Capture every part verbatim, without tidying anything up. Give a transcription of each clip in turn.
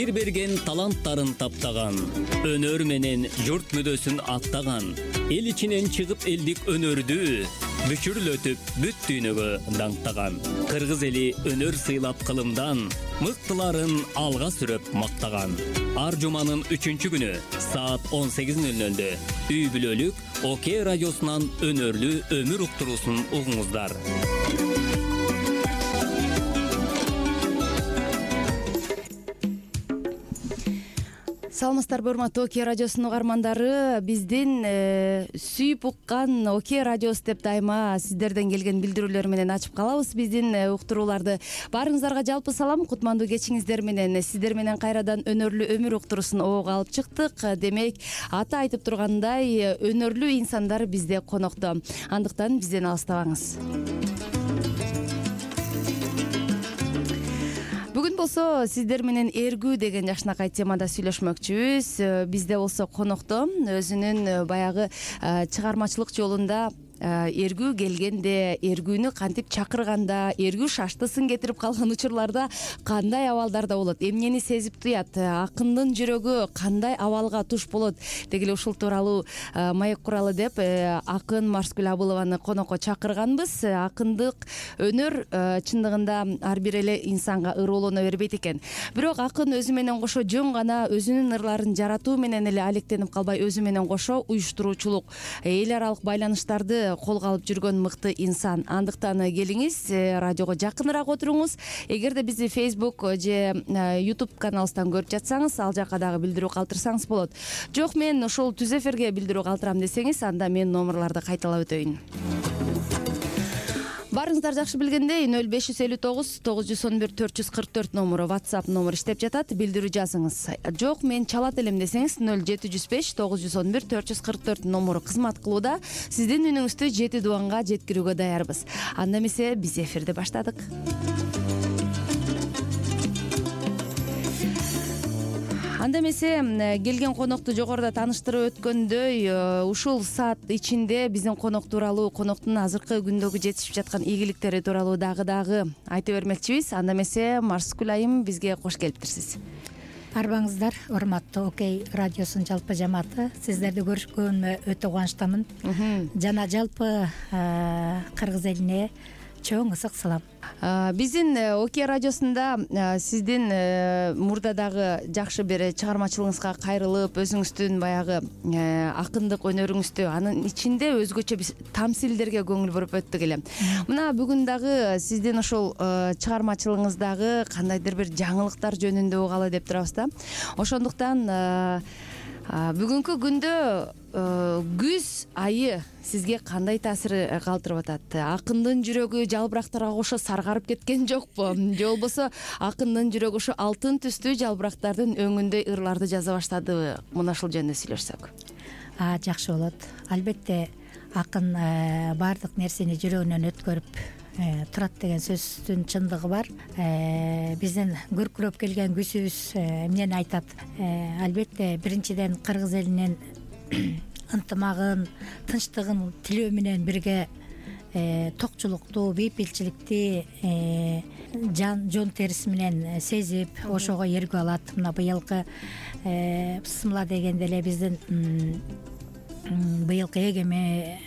жер берген таланттарын таптаган, өнөр менен журт мүдөсүн аттаган, эл ичинен чыгып элдик өнөрдү бүчүрлөтүп бүт дүйнөгө даңктаган, кыргыз эли өнөр сыйлап кылымдан мыктыларын алга сүрөп мактаган. Ар жуманын үчүнчү күнү саат он сегиз нөл нөлдө үй бүлөлүк ОК радиосунан өнөрлүү өмүр уктуруусун угуңуздар. Саламатсыздарбы, урматтуу ОК радиосунун угармандары. Биздин э, сүйүп уккан ОК радиосу деп дайыма сиздерден келген билдирүүлөр менен ачып калабыз биздин э, уктурууларды. Баарыңыздарга жалпы салам, кутмандуу кечиңиздер менен сиздер менен кайрадан өнөрлүү өмүр уктуруусун оого алып чыктык. Демек, аты айтып тургандай, өнөрлүү инсандар бизде конокто. Андыктан бизден алыстабаңыз. Бүгүн болсо сиздер менен эргүү деген жакшынакай темада сүйлөшмөкчүбүз. Бизде болсо конокто өзүнүн баягы чыгармачылык жолунда эргүү келгенде, эргүүнү кантип чакырганда, эргүү шаштысын кетирип калган учурларда кандай абалдарда болот, эмнени сезип туят, акындын жүрөгү кандай абалга туш болот дегиле ушул тууралуу маек куралы деп акын Марскүл Абылованы конокко чакырганбыз. Акындык өнөр чындыгында ар бир эле инсанга ыруулана бербейт экен. Бирок акын өзү менен кошо жөн гана өзүнүн ырларын жаратуу менен эле алектенип калбай, өзү менен кошо уюштуруучулук, эл аралык байланыштарды колго алып жүргөн мыкты инсан. Андыктан келиңиз, радиого жакыныраак отуруңуз. Эгерде бизди Facebook же YouTube каналыбыздан көрүп жатсаңыз, ал жака дагы билдирүү калтырсаңыз болот. Жок, мен ошол түз эфирге билдирүү калтырам десеңиз, анда мен номерларды кайталап өтөйүн. Баарыңыздар жакшы билгендей, нөл беш жүз элүү тогуз тогуз жүз он бир төрт жүз кырк төрт номуру WhatsApp номер иштеп жатат. Билдирүү жазыңыз. Жок, мен чалат элем десеңиз, нөл жети жүз беш тогуз жүз он бир төрт жүз кырк төрт номуру кызмат кылууда. Сиздин үнүңүздү жети дубанга жеткирүүгө даярбыз. Анда эмесе биз эфирди баштадык. Анда эмесе келген конокту жогоруда тааныштырып өткөндөй, ушул саат ичинде биздин конок тууралуу, коноктун азыркы күндөгү жетишип жаткан ийгиликтери тууралуу дагы-дагы айта бермекчибиз. Анда эмесе Марскүл айым, бизге кош келиптирсиз. Арбаңыздар, урматтуу ОК радиосунун жалпы жамааты. Сиздерди көрүшкөнүмө өтө кубанычтамын. Жана жалпы кыргыз элине чоң ысык салам. Биздин ОК радиосунда сиздин мурдадагы жакшы бир чыгармачылыгыңызга кайрылып, өзүңүздүн баягы акындык өнөрүңүздү, анын ичинде өзгөчө биз тамсилдерге көңүл буруп өттүк эле. Мына бүгүн дагы сиздин ошол чыгармачылыгыңыздагы кандайдыр бир жаңылыктар жөнүндө угалы деп турабыз да. Ошондуктан бүгүнкү күндө күз айы сизге кандай таасир калтырып атат? Акындын жүрөгү жалбырактарга кошо саргарып кеткен жокпу? Же болбосо акындын жүрөгү ошо алтын түстүү жалбырактардын өңүндөй ырларды жаза баштадыбы? Мына ушул жөнүндө сүйлөшсөк. А, жакшы болот. Албетте акын баардык нерсени жүрөгүнөн өткөрүп турат деген сөздүн чындыгы бар. Биздин көркүрөп келген күзүбүз эмнени айтат? Албетте биринчиден кыргыз элинин ынтымагын, тынчтыгын тилөө менен бирге токчулукту, бейпилчиликти жан жон териси менен сезип, ошого эргүү алат. Мына быйылкы бысмыла дегенде эле биздин быйылкы эгеме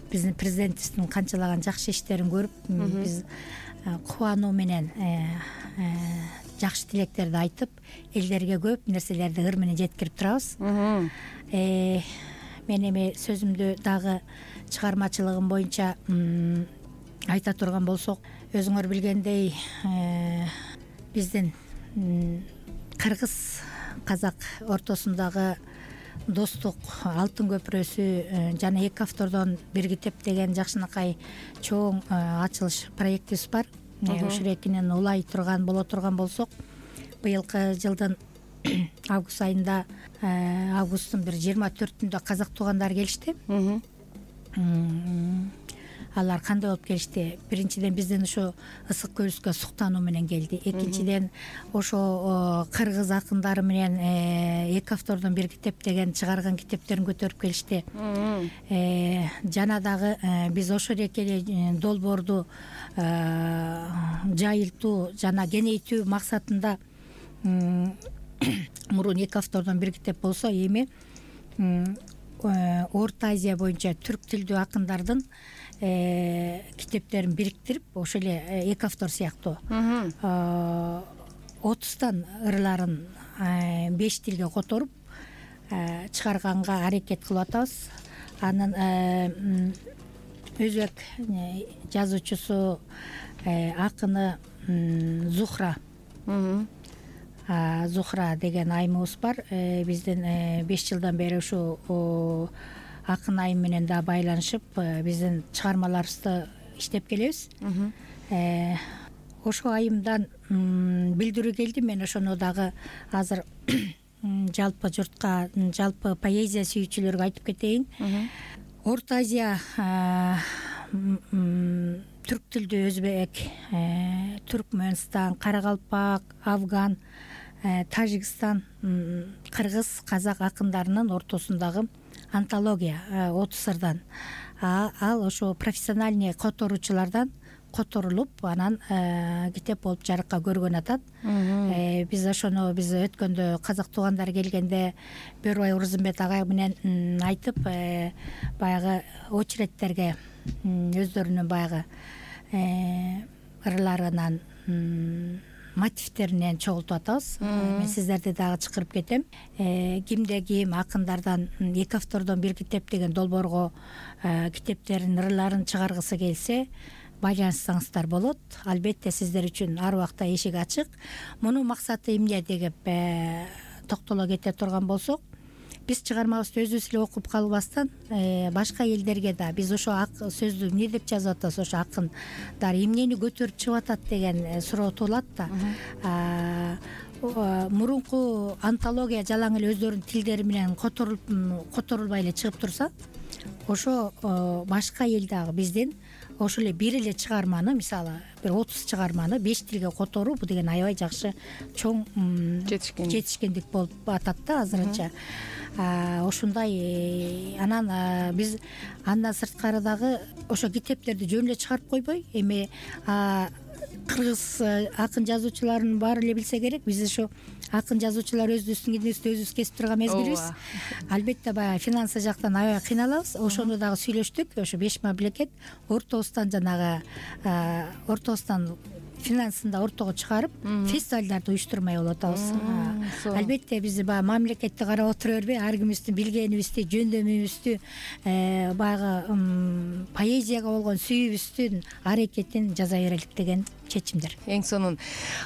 биздин президентибиздин канчалаган жакшы иштерин көрүп, биз кубануу менен жакшы тилектерди айтып, элдерге көп нерселерди ыр менен жеткирип турабыз. Мен эми сөзүмдү дагы чыгармачылыгым боюнча айта турган болсок, өзүңөр билгендей, биздин кыргыз казак ортосундагы достук алтын көпүрөсү жана эки автордон бир китеп деген жакшынакай чоң ачылыш проектибиз бар. Ушул экинин улай турган боло турган болсок, быйылкы жылдын август айында, августтун бир жыйырма төртүндө казак туугандар келишти. Алар кандай болуп келишти? Биринчиден биздин ушу ысык көлүскө суктануу менен келди. Экинчиден ошо кыргыз акындары менен эки автордон бир китеп деген чыгарган китептерин көтөрүп келишти. Жана дагы биз ошол эле долбоорду жайылтуу жана кеңейтүү максатында мурун эки автордон бир китеп болсо, эми Орто Азия боюнча түрк тилдүү акындардын китептерин бириктирип, ошол эле эки автор сыяктуу отуздан ырларын беш тилге которуп чыгарганга аракет кылып атабыз. Анын өзбек жазуучусу, акыны Зухра Зухра деген айымыбыз бар. Биздин беш жылдан бери ушу акын айым менен да байланышып, биздин чыгармаларыбызды иштеп келебиз. Ошо айымдан билдирүү келди. Мен ошону дагы азыр жалпы журтка, жалпы поэзия сүйүүчүлөргө айтып кетейин. Орто Азия түрк тилдүү өзбек, Түркмөнстан, Каракалпак, Афган, Тажикстан, кыргыз, казак акындарынын ортосундагы антология отуз сырдан. Ал ошо профессиональный которуучулардан которулуп, анан китеп болуп жарыкка көргөн атат. Биз ошону биз өткөндө казак туугандар келгенде Бөрбай Урузумбет агай менен айтып, баягы очередтерге өздөрүнүн баягы ырларынан, мотивтеринен чогултуп атабыз. Мен сиздерди дагы чакырып кетем. Кимде ким акындардан эки автордон бир китеп деген долбоорго китептерин, ырларын чыгаргысы келсе, байланышсаңыздар болот. Албетте сиздер үчүн ар убакта эшик ачык. Мунун максаты эмне деп токтоло кете турган болсок, биз чыгармабызды өзүбүз эле окуп калбастан, башка элдерге да биз ошо сөздү эмне деп жазып атабыз, ошо акындар эмнени көтөрүп чыгып атат деген суроо туулат да. Мурунку антология жалаң эле өздөрүнүн тилдери менен которулбай эле чыгып турса, ошо башка эл дагы биздин ошол эле бир эле чыгарманы, мисалы бир отуз чыгарманы беш тилге которуу, бул деген аябай жакшы чоң жетишкендик болуп атат да азырынча. Ошондой анан биз андан сырткары дагы ошо китептерди жөн эле чыгарып койбой, эми кыргыз акын жазуучуларын баары эле билсе керек. Биз ошо акын жазуучулар өзүбүздүн кинибизди өзүбүз кесип турган мезгилибиз. Албетте баягы финансы жактан аябай кыйналабыз. Ошону дагы сүйлөштүк. Ошо беш мамлекет ортобуздан жанагы ортобуздан финансында ортого чыгарып, фестивалдарды уюштурмай болуп атабыз. Албетте биз баягы мамлекетти карап отура бербей, ар кимибиздин билгенибизди, жөндөмүбүздү, баягы поэзияга болгон сүйүүбүздүн аракетин жаза берелик деген чечимдер. Эң сонун.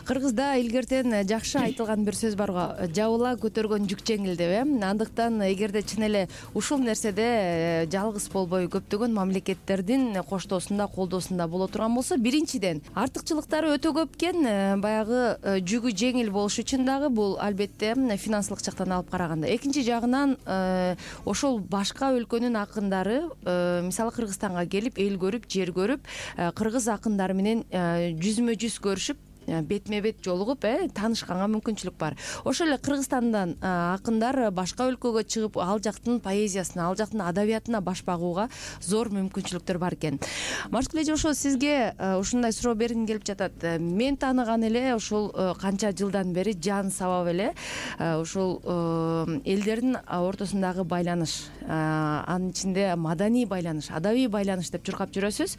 Кыргызда илгертен жакшы айтылган бир сөз барго, жабыла көтөргөн жүк жеңил деп, э? Андыктан эгерде чын эле ушул нерседе жалгыз болбой көптөгөн мамлекеттердин коштоосунда, колдоосунда боло турган болсо, биринчиден артыкчылыктары өтө көп экен, баягы жүгү жеңил болуш үчүн дагы бул албетте финансылык жактан алып караганда. Экинчи жагынан ошол башка өлкөнүн акындары, мисалы Кыргызстанга келип, эл көрүп, жер көрүп, кыргыз акындары менен жүзмө жүз көрүшүп, бетме бет жолугуп, э таанышканга мүмкүнчүлүк бар. Ошол эле Кыргызстандан акындар башка өлкөгө чыгып, ал жактын поэзиясына, ал жактын адабиятына баш багууга зор мүмкүнчүлүктөр бар экен. Маршкул эже, ошо сизге ушундай суроо бергим келип жатат. Мен тааныган эле ушул канча жылдан бери жан сабап эле ушул элдердин ортосундагы байланыш, анын ичинде маданий байланыш, адабий байланыш деп чуркап жүрөсүз.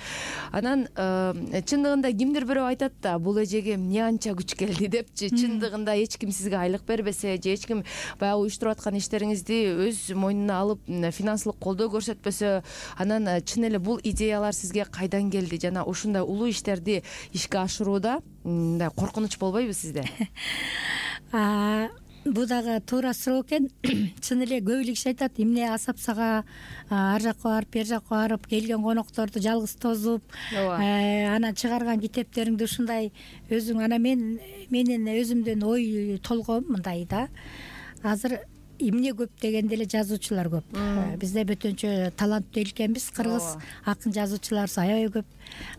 Анан чындыгында кимдир бирөө айтат да, бул эжеге эмне анча күч келди депчи. Чындыгында эч ким сизге айлык бербесе, же эч ким баягы уюштуруп аткан иштериңизди өз мойнуна алып финансылык колдоо көрсөтпөсө, анан чын эле бул идеялар сизге кайдан келди? Жана ушундай улуу иштерди ишке ашырууда мындай коркунуч болбойбу сизде? Бул дагы туура суроо экен. Чын эле көп эле киши айтат, эмне асапсага ар жакка барып, бер жакка барып, келген конокторду жалгыз тосуп, анан чыгарган китептериңди ушундай өзүң, анан мен менин өзүмдүн ой толгоом мындай да. Азыр эмне көп дегенде эле жазуучулар көп. Бизде бөтөнчө таланттуу эл экенбиз. Кыргыз акын жазуучуларыбыз аябай көп.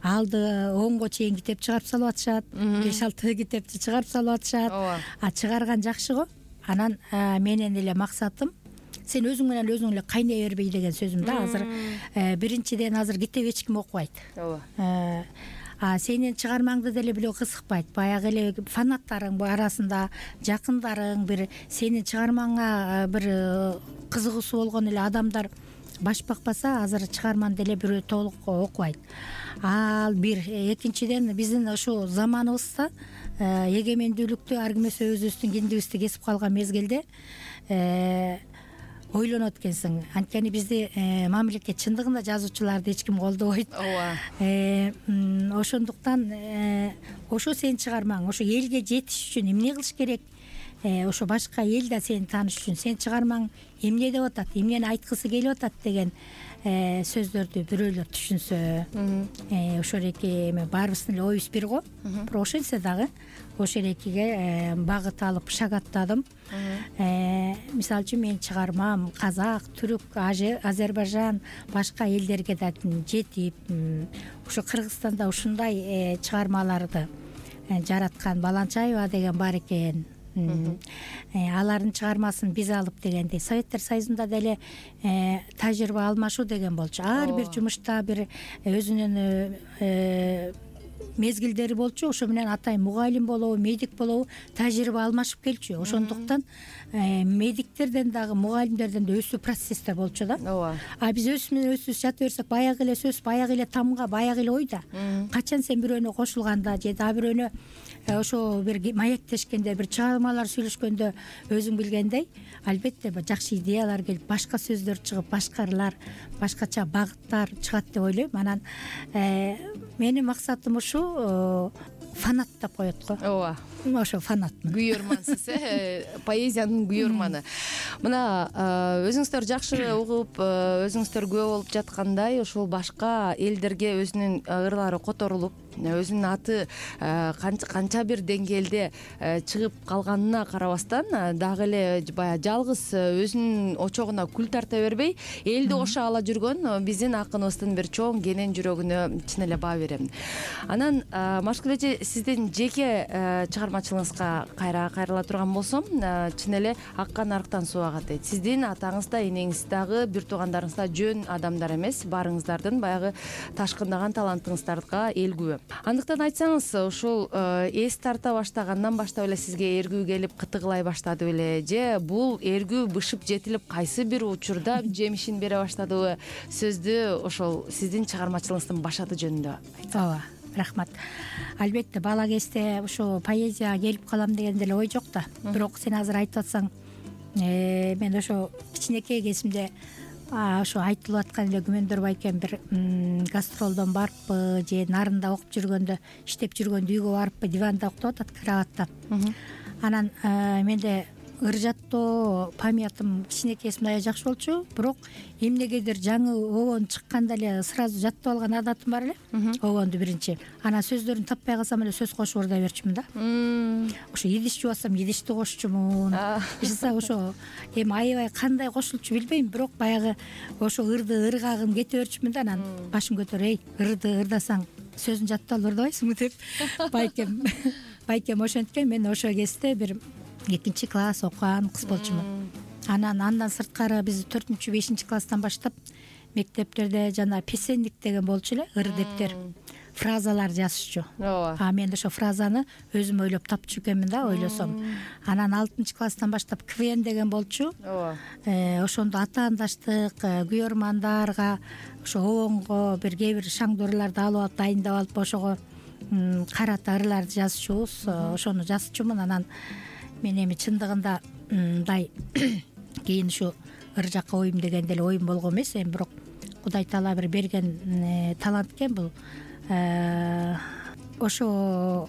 Алды онго чейин китеп чыгарып салып атышат, беш алты китепти чыгарып салып атышат. А чыгарган жакшы го. Анан менин эле максатым, сен өзүң менен өзүң эле кайнай бербей деген сөзүм да. Азыр биринчиден азыр китеп эч ким окубайт. а сенин чыгармаңды деле бирөө кызыкпайт, баягы эле фанаттарың арасында, жакындарың бир сенин чыгармаңа бир кызыгуусу болгон эле адамдар баш бакпаса, азыр чыгарманы деле бирөө толук окубайт. Ал бир. Экинчиден, биздин ушул заманыбызда эгемендүүлүктү ар ким өзүбүздүн киндибизди кесип калган мезгилде ойлонот экенсиң. Анткени бизди мамлекет чындыгында жазуучуларды эч ким колдобойт. Ооба. Ошондуктан ошо сенин чыгармаң, ошо элге жетиш үчүн эмне кылыш керек? Ошо башка эл да сени тааныш үчүн сенин чыгармаң эмне деп атат, эмнени айткысы келип атат деген сөздөрдү бирөөлөр түшүнсө, ошол эки эме баарыбыздын эле оюбуз бир го. Бирок ошентсе дагы ошол экиге багыт алып шагаттадым. Мисалы үчүн менин чыгармам казак, түрк, Азербайжан, башка элдерге да жетип, ошо Кыргызстанда ушундай чыгармаларды жараткан Баланчаева деген бар экен. Алардын чыгармасын биз алып дегендей Советтер Союзунда деле тажрыйба алмашуу деген болчу. Ар бир жумушта бир өзүнүн мезгилдери болчу. Ошо менен атайын мугалим болобу, медик болобу тажрыйба алмашып келчү. Ошондуктан медиктерден дагы мугалимдерден да өсүү процессте болчу да. Ооба. А биз өзүбүз өзүбүз жата берсек, баягы эле сөз, баягы эле тамга, баягы эле ойда. Качан сен бирөөнө кошулганда же да бирөөнө ошо бир маектешкенде, бир чыгармалар сүйлөшкөндө өзүң билгендей, албетте жакшы идеялар келип, башка сөздөр чыгып, башкалар, башкача багыттар чыгат деп ойлойм. Анан менин максатым ушу фанат деп коет го. Ооба. Ошо фанатмын. Күйөрмансыз, э, поэзиянын күйөрманы. Мына өзүңүздөр жакшы угуп, өзүңүздөр күбө болуп жаткандай, ошол башка элдерге өзүнүн ырлары которулуп, өзүнүн аты канча бир деңгээлде чыгып калганына карабастан, дагы эле баягы жалгыз өзүнүн очогуна күл тарта бербей, элди кошо ала жүргөн биздин акыныбыздын бир чоң кенен жүрөгүнө чын эле баа берем. Анан Машкүл эже, сиздин жеке чыгармачылыгыңызга кайра кайрыла турган болсом, чын эле аккан арыктан суу агат дейт. Сиздин атаңыз да, энеңиз дагы, бир туугандарыңыз да жөн адамдар эмес, баарыңыздардын баягы ташкындаган талантыңыздарга эл күбө. Андыктан айтсаңыз, ушул эс тарта баштагандан баштап эле сизге эргүү келип кытыгылай баштады беле, же бул эргүү бышып жетилип кайсы бир учурда жемишин бере баштадыбы? Сөздү ошол сиздин чыгармачылыгыңыздын башаты жөнүндө айтсаңыз. Ооба, рахмат. Албетте бала кезде ушу поэзияга келип калам деген деле ой жок да. Бирок сен азыр айтып атсаң, мен ошо кичинекей кезимде ошо айтылып аткан эле күмөндөр байкем бир гастролдон барыппы же нарында окуп жүргөндө, иштеп жүргөндө үйгө барыппы, диванда уктап атат, кроватта. Анан менде ыр жаттоо памятым кичинекейсимде аябай жакшы болчу, бирок эмнегедир жаңы обон чыкканда эле сразу жаттап алган адатым бар эле. Обонду биринчи. Анан сөздөрүн таппай калсам эле сөз кошуп ордой берчүмүн да. Ошо идиш жубасам идишти кошчумун. Жаса ошо эми аябай кандай кошулчу билбейм, бирок баягы ошо ырды ыргагым кете берчүмүн да. Анан башым көтөрүп, эй, ырды ырдасаң сөзүн жаттап алып ырдабайсыңбы деп байкем байкем ошенткен. Мен ошо кезде бир экинчи класс окуган кыз болчумун. Анан андан сырткары биз төртүнчү бешинчи класстан баштап мектептерде жана песенник деген болчу эле, ыр дептер, фразалар жазышчу. А мен ошо фразаны өзүм ойлоп тапчу экенмин да, ойлосом. Анан алтынчы класстан баштап КВН деген болчу. Ошондо атаандаштык, күйөрмандарга, ошо обонго бир кээ бир шаңдуу ырларды алып алып, дайындап алып, ошого карата ырларды жазчубуз. Ошону жазчумун. Анан мен эми чындыгында мындай кийин ушу ыр жакка оюм деген деле оюм болгон эмес, эми бирок Кудай таала бир берген талант экен бул. Ошо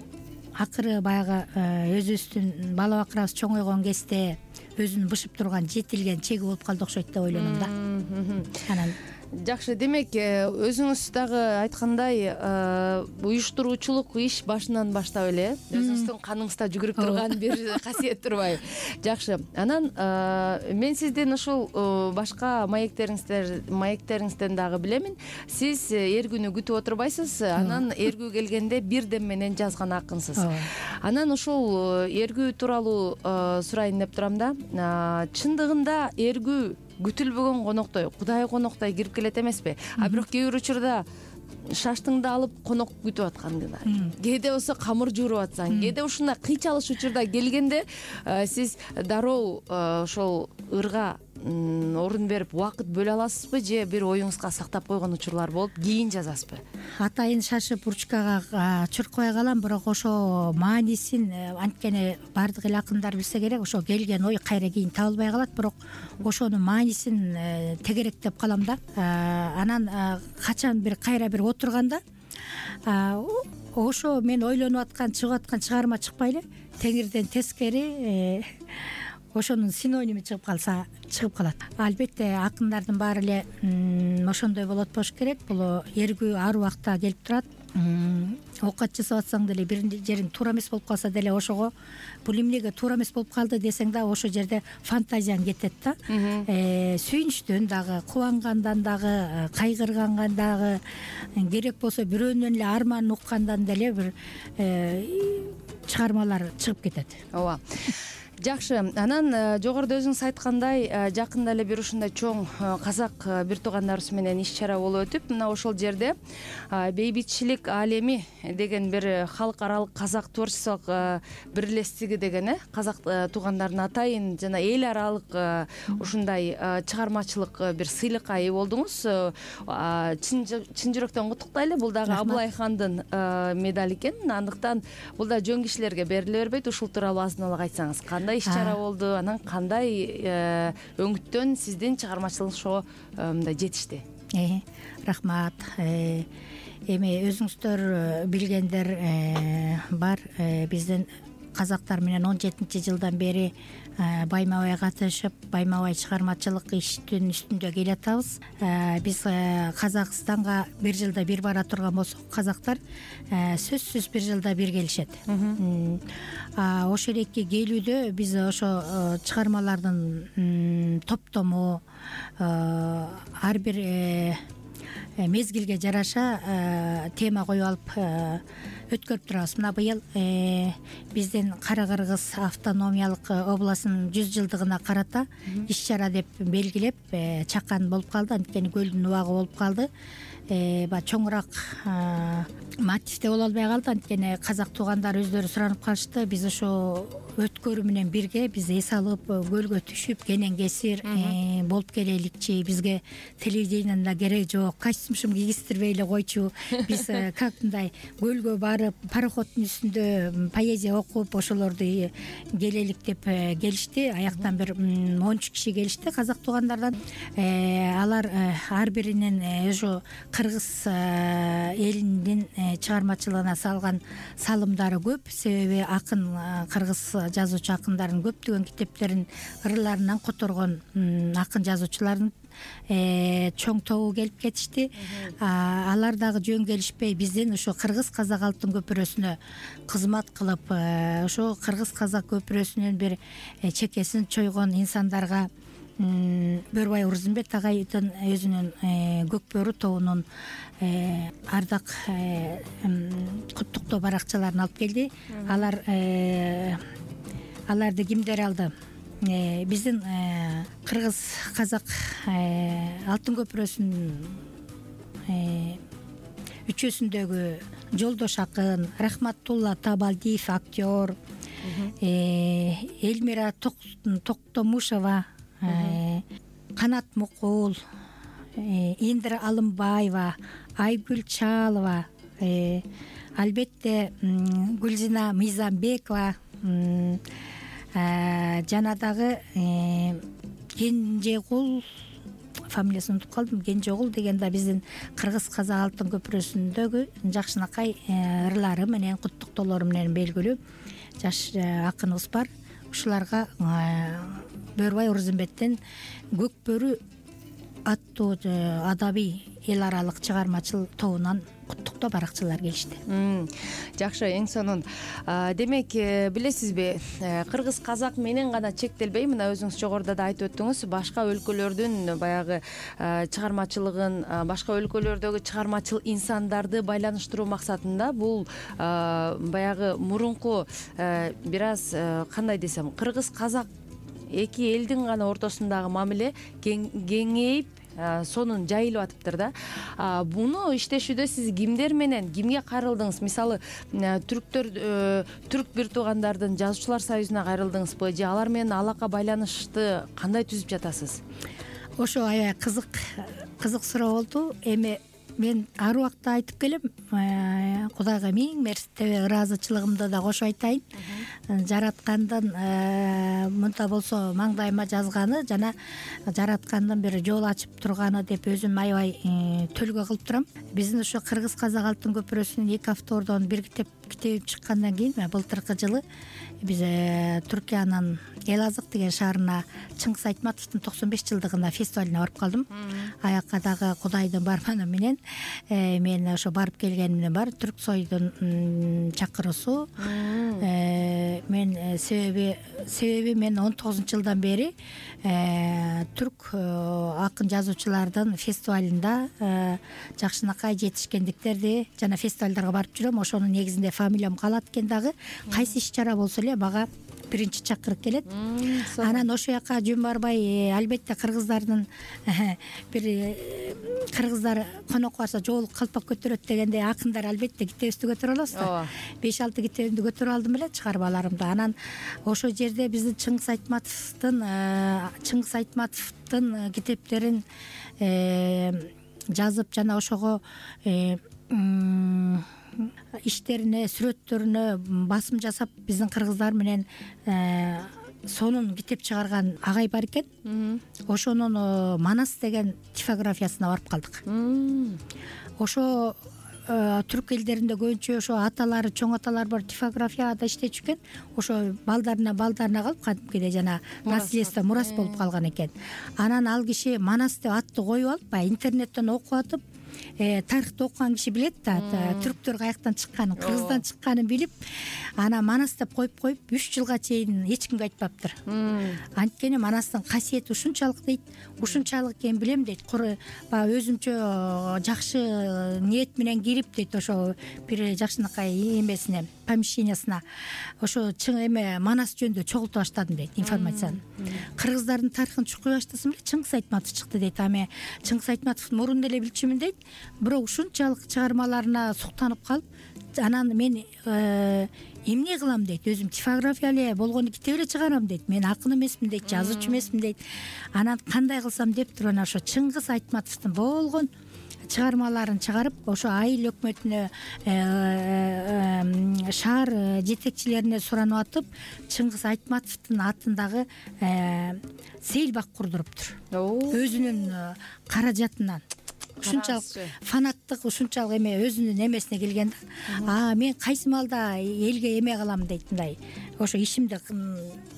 акыры баягы өзүбүздүн бала бакырабыз чоңойгон кезде өзүн бышып турган, жетилген чеги болуп калды окшойт деп ойлоном да. Анан жакшы, демек өзүңүз дагы айткандай уюштуруучулук иш башынан баштап эле өзүңүздүн каныңызда жүгүрүп турган бир касиет турбайбы? Жакшы. Анан мен сиздин ушул башка маектериңиздер маектериңизден дагы билемин. Сиз эргүүнү күтүп отурбайсыз, анан эргүү келгенде бир дем менен жазган акынсыз. Анан ушул эргүү тууралуу сурайын деп турам да. Чындыгында эргүү күтүлбөгөн коноктой, Кудай коноктой кирип келет эмеспи? А бирок кээ бир учурда шаштыңды алып конок күтүп атканда, кээде болсо камыр жууруп атсаң, кээде ушундай кыйчалыш учурда келгенде сиз дароо ошол ырга орун берип убакыт бөлө аласызбы же бир оюңузга сактап койгон учурлар болуп кийин жазасызбы? Атайын шашып ручкага чуркабай калам, бирок ошо маанисин анткени баардык эле акындар билсе керек, ошо келген ой кайра кийин табылбай калат, бирок ошонун маанисин тегеректеп калам да. Анан качан бир кайра бир отурганда ошо мен ойлонуп аткан чыгып аткан чыгарма чыкпай эле теңирден тескери ошонун синоними чыгып калса чыгып калат. Албетте акындардын баары эле ошондой болот болуш керек. Бул эргүү ар убакта келип турат. Оокат жасап атсаң деле бир жериң туура эмес болуп калса деле ошого бул эмнеге туура эмес болуп калды десең да ошол жерде фантазияң кетет да. Сүйүнүчтөн дагы, кубангандан дагы, кайгыргандан дагы, керек болсо бирөөнүн эле арманын уккандан деле бир чыгармалар чыгып кетет. Ооба. Жакшы. Анан жогоруда өзүңүз айткандай, жакында эле бир ушундай чоң казак бир туугандарыбыз менен иш чара болуп өтүп, мына ошол жерде Бейбитчилик алеми деген бир халкаралык казак творчестволук бирлестиги деген э казак туугандардын атайын жана эл аралык ушундай чыгармачылык бир сыйлыкка ээ болдуңуз. Чын жүрөктөн куттуктайлы. Бул дагы Абылайхандын медали экен. Андыктан бул да жөн кишилерге бериле бербейт. Ушул тууралуу азын эле айтсаңыз, кандай иш чара болду, анан кандай өңүттөн сиздин чыгармачылыгыңыз ошого мындай жетишти? Рахмат. Эми өзүңүздөр билгендер бар, биздин казактар менен он жетинчи жылдан бери байма бай катышып, байма бай чыгармачылык иштин үстүндө келатабыз. Биз Казакстанга бир жылда бир бара турган болсок, казактар сөзсүз бир жылда бир келишет. Ошол эки келүүдө биз ошо чыгармалардын топтому ар бир мезгилге жараша тема коюп алып өткөрүп турабыз. Мына быйыл биздин Кара Кыргыз автономиялык областынын жүз жылдыгына карата иш чара деп белгилеп чакан болуп калды. Анткени көлдүн убагы болуп калды. Баягы чоңураак мотивде боло албай калды. Анткени казак туугандар өздөрү суранып калышты. Биз ошо өткөрүү менен бирге биз эс алып, көлгө түшүп, кенен кесир болуп келеликчи. Бизге телевидениянын да кереги жок. Костюм кийгиздирбей эле койчу. Биз как мындай көлгө барып, пароходдун үстүндө поэзия окуп, ошолорду келелик деп келишти. Аяктан бир ончу киши келишти казак туугандардан. Алар ар биринин ошо кыргыз элинин чыгармачылыгына салган салымдары көп. Себеби акын кыргыз жазуучу акындардын көптөгөн китептерин, ырларынан которгон акын жазуучулардын чоң тобу келип кетишти. Алар дагы жөн келишпей биздин ошо кыргыз казак алтын көпүрөсүнө кызмат кылып, ошо кыргыз казак көпүрөсүнүн бир чекесин чойгон инсандарга Бөрбай Урзумбет агайдын өзүнүн Көкбөрү тобунун ардак куттуктоо баракчаларын алып келди. Алар аларды кимдер алды? Биздин кыргыз казак алтын көпүрөсүнүн үчөөсүндөгү Жолдош акын, Рахматулла Табалдиев актер, Элмира Токтомушева, Канат Мукул, Индира Алымбаева, Айгүл Чалова, албетте Гүлзина Мыйзамбекова, жана дагы Кенжегул, фамилиясын унутуп калдым, Кенжегул деген да биздин кыргыз казак алтын көпүрөсүндөгү жакшынакай ырлары менен, куттуктоолору менен белгилүү жаш акыныбыз бар. Ушуларга Бөрбай Урзумбеттен Көкбөрү аттуу адабий эл аралык чыгармачыл тобунан куттуктоо баракчалар келишти. Жакшы, эң сонун. Демек, билесизби, кыргыз казак менен гана чектелбей, мына өзүңүз жогоруда да айтып өттүңүз, башка өлкөлөрдүн баягы чыгармачылыгын, башка өлкөлөрдөгү чыгармачыл инсандарды байланыштыруу максатында бул баягы мурунку бир аз кандай десем, кыргыз казак эки элдин гана ортосундагы мамиле кеңейип, сонун жайылып атыптыр да. Буну иштешүүдө сиз кимдер менен кимге кайрылдыңыз? Мисалы түрктөр түрк бир туугандардын жазуучулар союзуна кайрылдыңызбы же алар менен алака байланышты кандай түзүп жатасыз? Ошо аябай кызык кызык суроо болду. Эми мен ар убакта айтып келем, Кудайга миң мерте ыраазычылыгымды да кошо айтайын. Жараткандын мынта болсо маңдайыма жазганы жана жараткандын бир жол ачып турганы деп өзүм аябай төлгө кылып турам. Биздин ошо Кыргыз Казак алтын көпүрөсүнүн эки автордон бир китеп китебим чыккандан кийин былтыркы жылы биз Түркиянын Элазык деген шаарына Чыңгыз Айтматовдун токсон беш жылдыгына фестивалине барып калдым. Аякка дагы Кудайдын барманы менен мен ошо барып келгенимден бар түрк сойдун чакыруусу. Мен себеби себеби мен он тогузунчу жылдан бери түрк акын жазуучулардын фестивалында жакшынакай, жетишкендиктерди жана фестивалдарга барып жүрөм. Ошонун негизинде фамилиям калат экен дагы. Кайсы иш чара болсо эле мага биринчи чакырык келет. Анан ошо жака жөн барбай, албетте кыргыздардын бир кыргыздар конокко барса жоолук калпак көтөрөт дегендей акындар албетте китебибизди көтөрө алабыз да. беш алты китебимди көтөрүп алдым эле, чыгармаларымды. Анан ошо жерде биздин Чыңгыз Айтматовдун Чыңгыз Айтматовдун китептерин жазып жана ошого иштерине, сүрөттөрүнө басым жасап биздин кыргыздар менен сонун китеп чыгарган агай бар экен. Ошонун Манас деген типографиясына барып калдык. Ошо түрк элдеринде көбүнчө ошо аталары, чоң аталар бар типографияда иштечү экен. Ошо балдарына балдарына калып кадимкидей жана наследство, мурас болуп калган экен. Анан ал киши Манас деп атты коюп алып, баягы интернеттен окуп атып, тарыхты окуган киши билет да, түрктөр каяктан чыкканын, кыргыздан чыкканын билип, анан Манас деп коюп коюп үч жылга чейин эч кимге айтпаптыр. Анткени Манастын касиети ушунчалык дейт, ушунчалык экенин билем дейт. Баягы өзүмчө жакшы ниет менен кирип дейт ошо бир жакшынакай эмесине, помещениясына ошо чың эме Манас жөнүндө чогулта баштадым дейт информацияны. Кыргыздардын тарыхын чукуй баштасам эле Чыңгыз Айтматов чыкты дейт. Аме Чыңгыз Айтматовду мурун эле билчүмүн дейт. Бирок ушунчалык чыгармаларына суктанып калып, анан мен эмне кылам дейт, өзүм типография эле болгону китеп эле чыгарам дейт. Мен акын эмесмин дейт, жазуучу эмесмин дейт. Анан кандай кылсам деп туруп анан ошо Чыңгыз Айтматовдун болгон чыгармаларын чыгарып, ошо айыл өкмөтүнө, шаар жетекчилерине суранып атып, Чыңгыз Айтматовдун атындагы сейилбак курдуруптур. Өзүнүн каражатынан. Ушунчалык фанаттык, ушунчалык эме өзүнүн эмесине келген да. А мен кайсы маалда элге эме кылам дейт, мындай. Ошо ишимди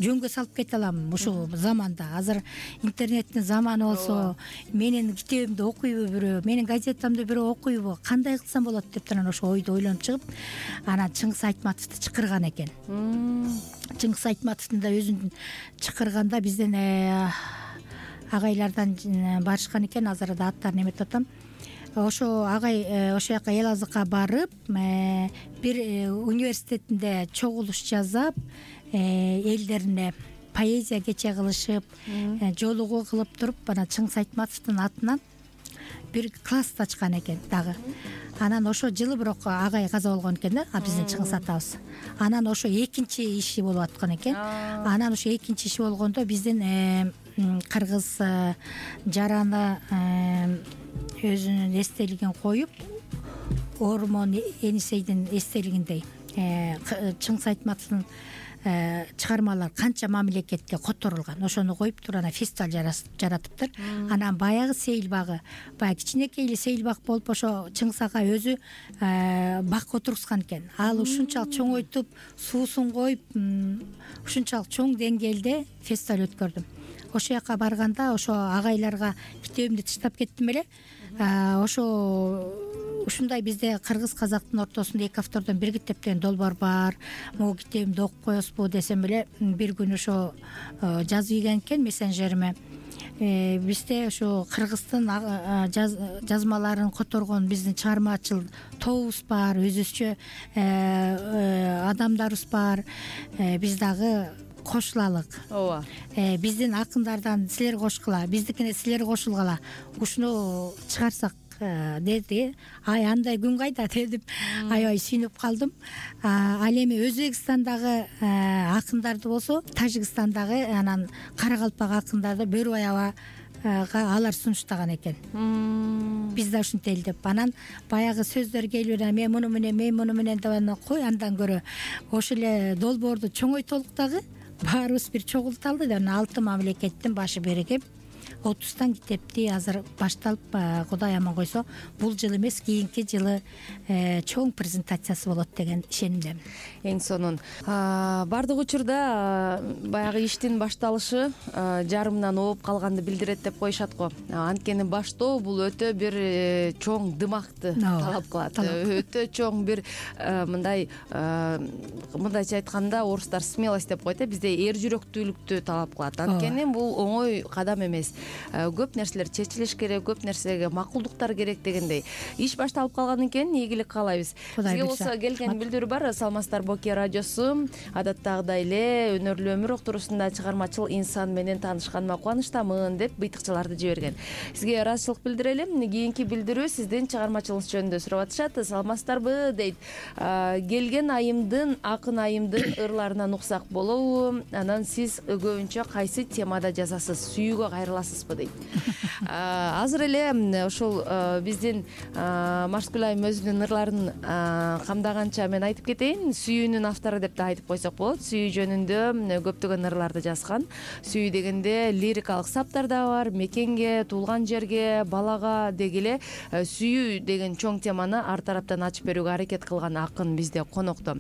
жөнгө салып кете алам ушул заманда. Азыр интернеттин заманы болсо, менин китебимди окуйбу бирөө, менин газетамды бирөө окуйбу, кандай кылсам болот деп туран ошо ойду ойлонуп чыгып, анан Чыңгыз Айтматовду чакырган экен. Чыңгыз Айтматовдун да өзүн чакырганда бизден агайлардан барышкан экен, азыр да аттарын эметип атам. Ошо агай ошо жака Элазыкка барып, бир университетинде чогулуш жасап, элдерине поэзия кече кылышып, жолугуу кылып туруп, анан Чыңгыз Айтматовдун атынан бир класс ачкан экен дагы. Анан ошо жылы бирок агай каза болгон экен да, биздин Чыңгыз атабыз. Анан ошо экинчи иши болуп аткан экен. Анан ошо экинчи иши болгондо биздин кыргыз жараны өзүнүн эстелигин коюп, Ормон Энисейдин эстелигиндей Чыңгыз Айтматовдун чыгармалар канча мамлекетке которулган, ошону коюп туруп анан фестиваль жаратыптыр. Анан баягы сейилбагы, баягы кичинекей эле сейилбак болуп, ошо Чыңгыз ага өзү бак отургузган экен. Ал ушунчалык чоңойтуп, суусун коюп, ушунчалык чоң деңгээлде фестиваль өткөрдүм. Ошо жака барганда ошо агайларга китебимди таштап кеттим эле. Ошо ушундай бизде кыргыз казактын ортосунда эки автордон бир китеп деген долбоор бар. Могу китебимди окуп коесузбу десем эле, бир күн ошо жазып ийген экен мессенджериме. Бизде ошо кыргыздын жазмаларын которгон биздин чыгармачыл тобубуз бар, өзүбүзчө адамдарыбыз бар. Биз дагы кошулалык. ооба Биздин акындардан силер кошкула, биздикине силер кошулгула, ушуну чыгарсак деди. Ай андай күн кайда дедим. Аябай сүйүнүп калдым. Ал эми Өзбекстандагы акындарды болсо, Тажикстандагы анан Каракалпак акындарды Бөрүбай абага алар сунуштаган экен. Биз да ушинтели деп. Анан баягы сөздөр келип эле мен муну менен, мен муну менен деп анан кой андан көрө ошо эле долбоорду чоңойтолук дагы баарыбыз бир чогулталды деп анан алты мамлекеттин башы биригип отуздан китепти азыр башталып, Кудай аман койсо бул жыл эмес кийинки жылы чоң презентациясы болот деген ишенимдемин. Эң сонун бардык учурда баягы иштин башталышы жарымынан ооп калганды билдирет деп коюшат го. Анткени баштоо бул өтө бир чоң дымакты талап кылат. Өтө чоң бир мындай мындайча айтканда орустар смелость деп коет, бизде эр жүрөктүүлүктү талап кылат. Анткени бул оңой кадам эмес. Көп нерселер чечилиш керек, көп нерсеге макулдуктар керек дегендей. Иш башталып калгандан кийин ийгилик каалайбыз. Сизге болсо келген билдирүү бар. Саламатсыздар Боке радиосу. Адаттагыдай эле өнөрлүү өмүр октурусунда чыгармачыл инсан менен таанышканыма кубанычтамын деп быйтыкчаларды жиберген. Сизге ыраазычылык билдирелим. Кийинки билдирүү сиздин чыгармачылыгыңыз жөнүндө сурап атышат. Саламатсыздарбы дейт. Келген айымдын, акын айымдын ырларынан уксак болобу? Анан сиз көбүнчө кайсы темада жазасыз? Сүйүүгө кайрыласызбы дейт. Азыр эле ушул биздин Марскүл айым өзүнүн ырларын камдаганча мен айтып кетейин. Сүйүүнүн автору деп да айтып койсок болот. Сүйүү жөнүндө көптөгөн ырларды жазган. Сүйүү дегенде лирикалык саптар да бар. Мекенге, туулган жерге, балага дегеле сүйүү деген чоң теманы ар тараптан ачып берүүгө аракет кылган акын бизде конокто.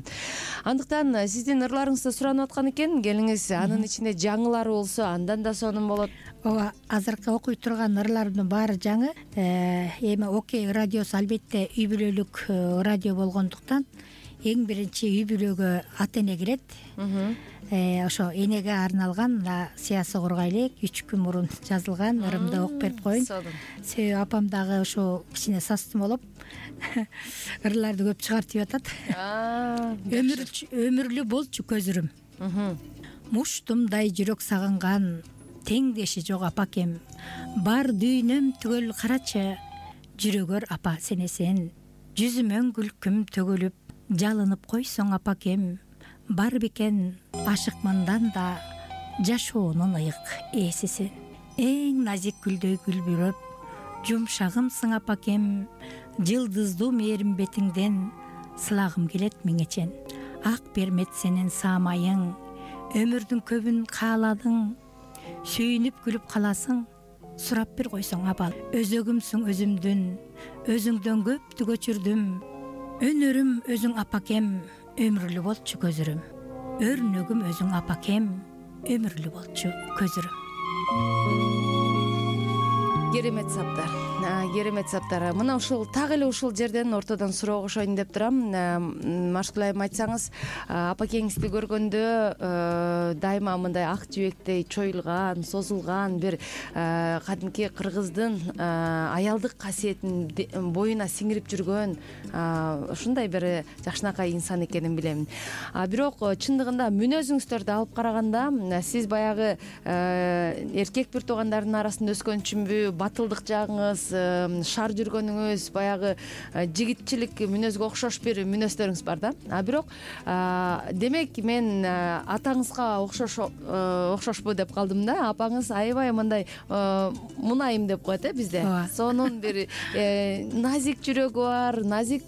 Андыктан сиздин ырларыңызды суранып аткан экен. Келиңиз, анын ичинде жаңылары болсо андан да сонун болот. Ооба, азыркы окуй турган ырларымдын баары жаңы. Эми Окей радиосу албетте үй бүлөлүк радио болгондуктан эң биринчи үй бүлөгө ата эне кирет. Ошо энеге арналган Сыясы кургайлык үч күн мурун жазылган ырымды окуп берип коеюн. Себеби апам дагы ошо кичине састым болуп ырларды көп чыгартып атат. Өмүрлүү болчу көзүрүм. Муштумдай жүрөк сагынган теңдеши жок апакем, бар дүйнөм түгөл карачы, жүрөгөр апа сенесен, жүзүмөн күлкүм төгүлүп, жалынып койсоң апакем, бар бекен ашыкмындан да жашоонун ыйык ээсисин. Эң назик гүлдөй күлбүрөп, жумшагымсың апакем, жылдыздуу мээрим бетиңден сылагым келет миңечен. Ак бермет сенин саамайың, өмүрдүн көбүн кааладың, сүйүнүп күлүп каласың, сурап бир койсоң абал. Өзөгүмсүң өзүмдүн, өзүңдөн көптү көчүрдүм, өнөрүм өзүң апакем, өмүрлүү болчу көзүрүм. Өрнөгүм өзүң апакем, өмүрлүү болчу көзүрүм. Керемет саптар. Керемет саптар. Мына ушул так эле ушул жерден ортодон суроо кошоюн деп турам. Марскүл айым, айтсаңыз, апакеңизди көргөндө дайыма мындай ак жибектей чоюлган, созулган бир кадимки кыргыздын аялдык касиетин боюна сиңирип жүргөн ушундай бир жакшынакай инсан экенин билем. Бирок чындыгында мүнөзүңүздөрдү алып караганда сиз баягы эркек бир туугандардын арасында өскөнчүмбү, батылдык жагыңыз, шаар жүргөнүңүз, баягы жигитчилик мүнөзгө окшош бир мүнөздөрүңүз бар да. А бирок демек мен атаңызга окшош окшошпу деп калдым да. Апаңыз аябай мындай мунайым деп коет э бизде. Сонун бир назик жүрөгү бар, назик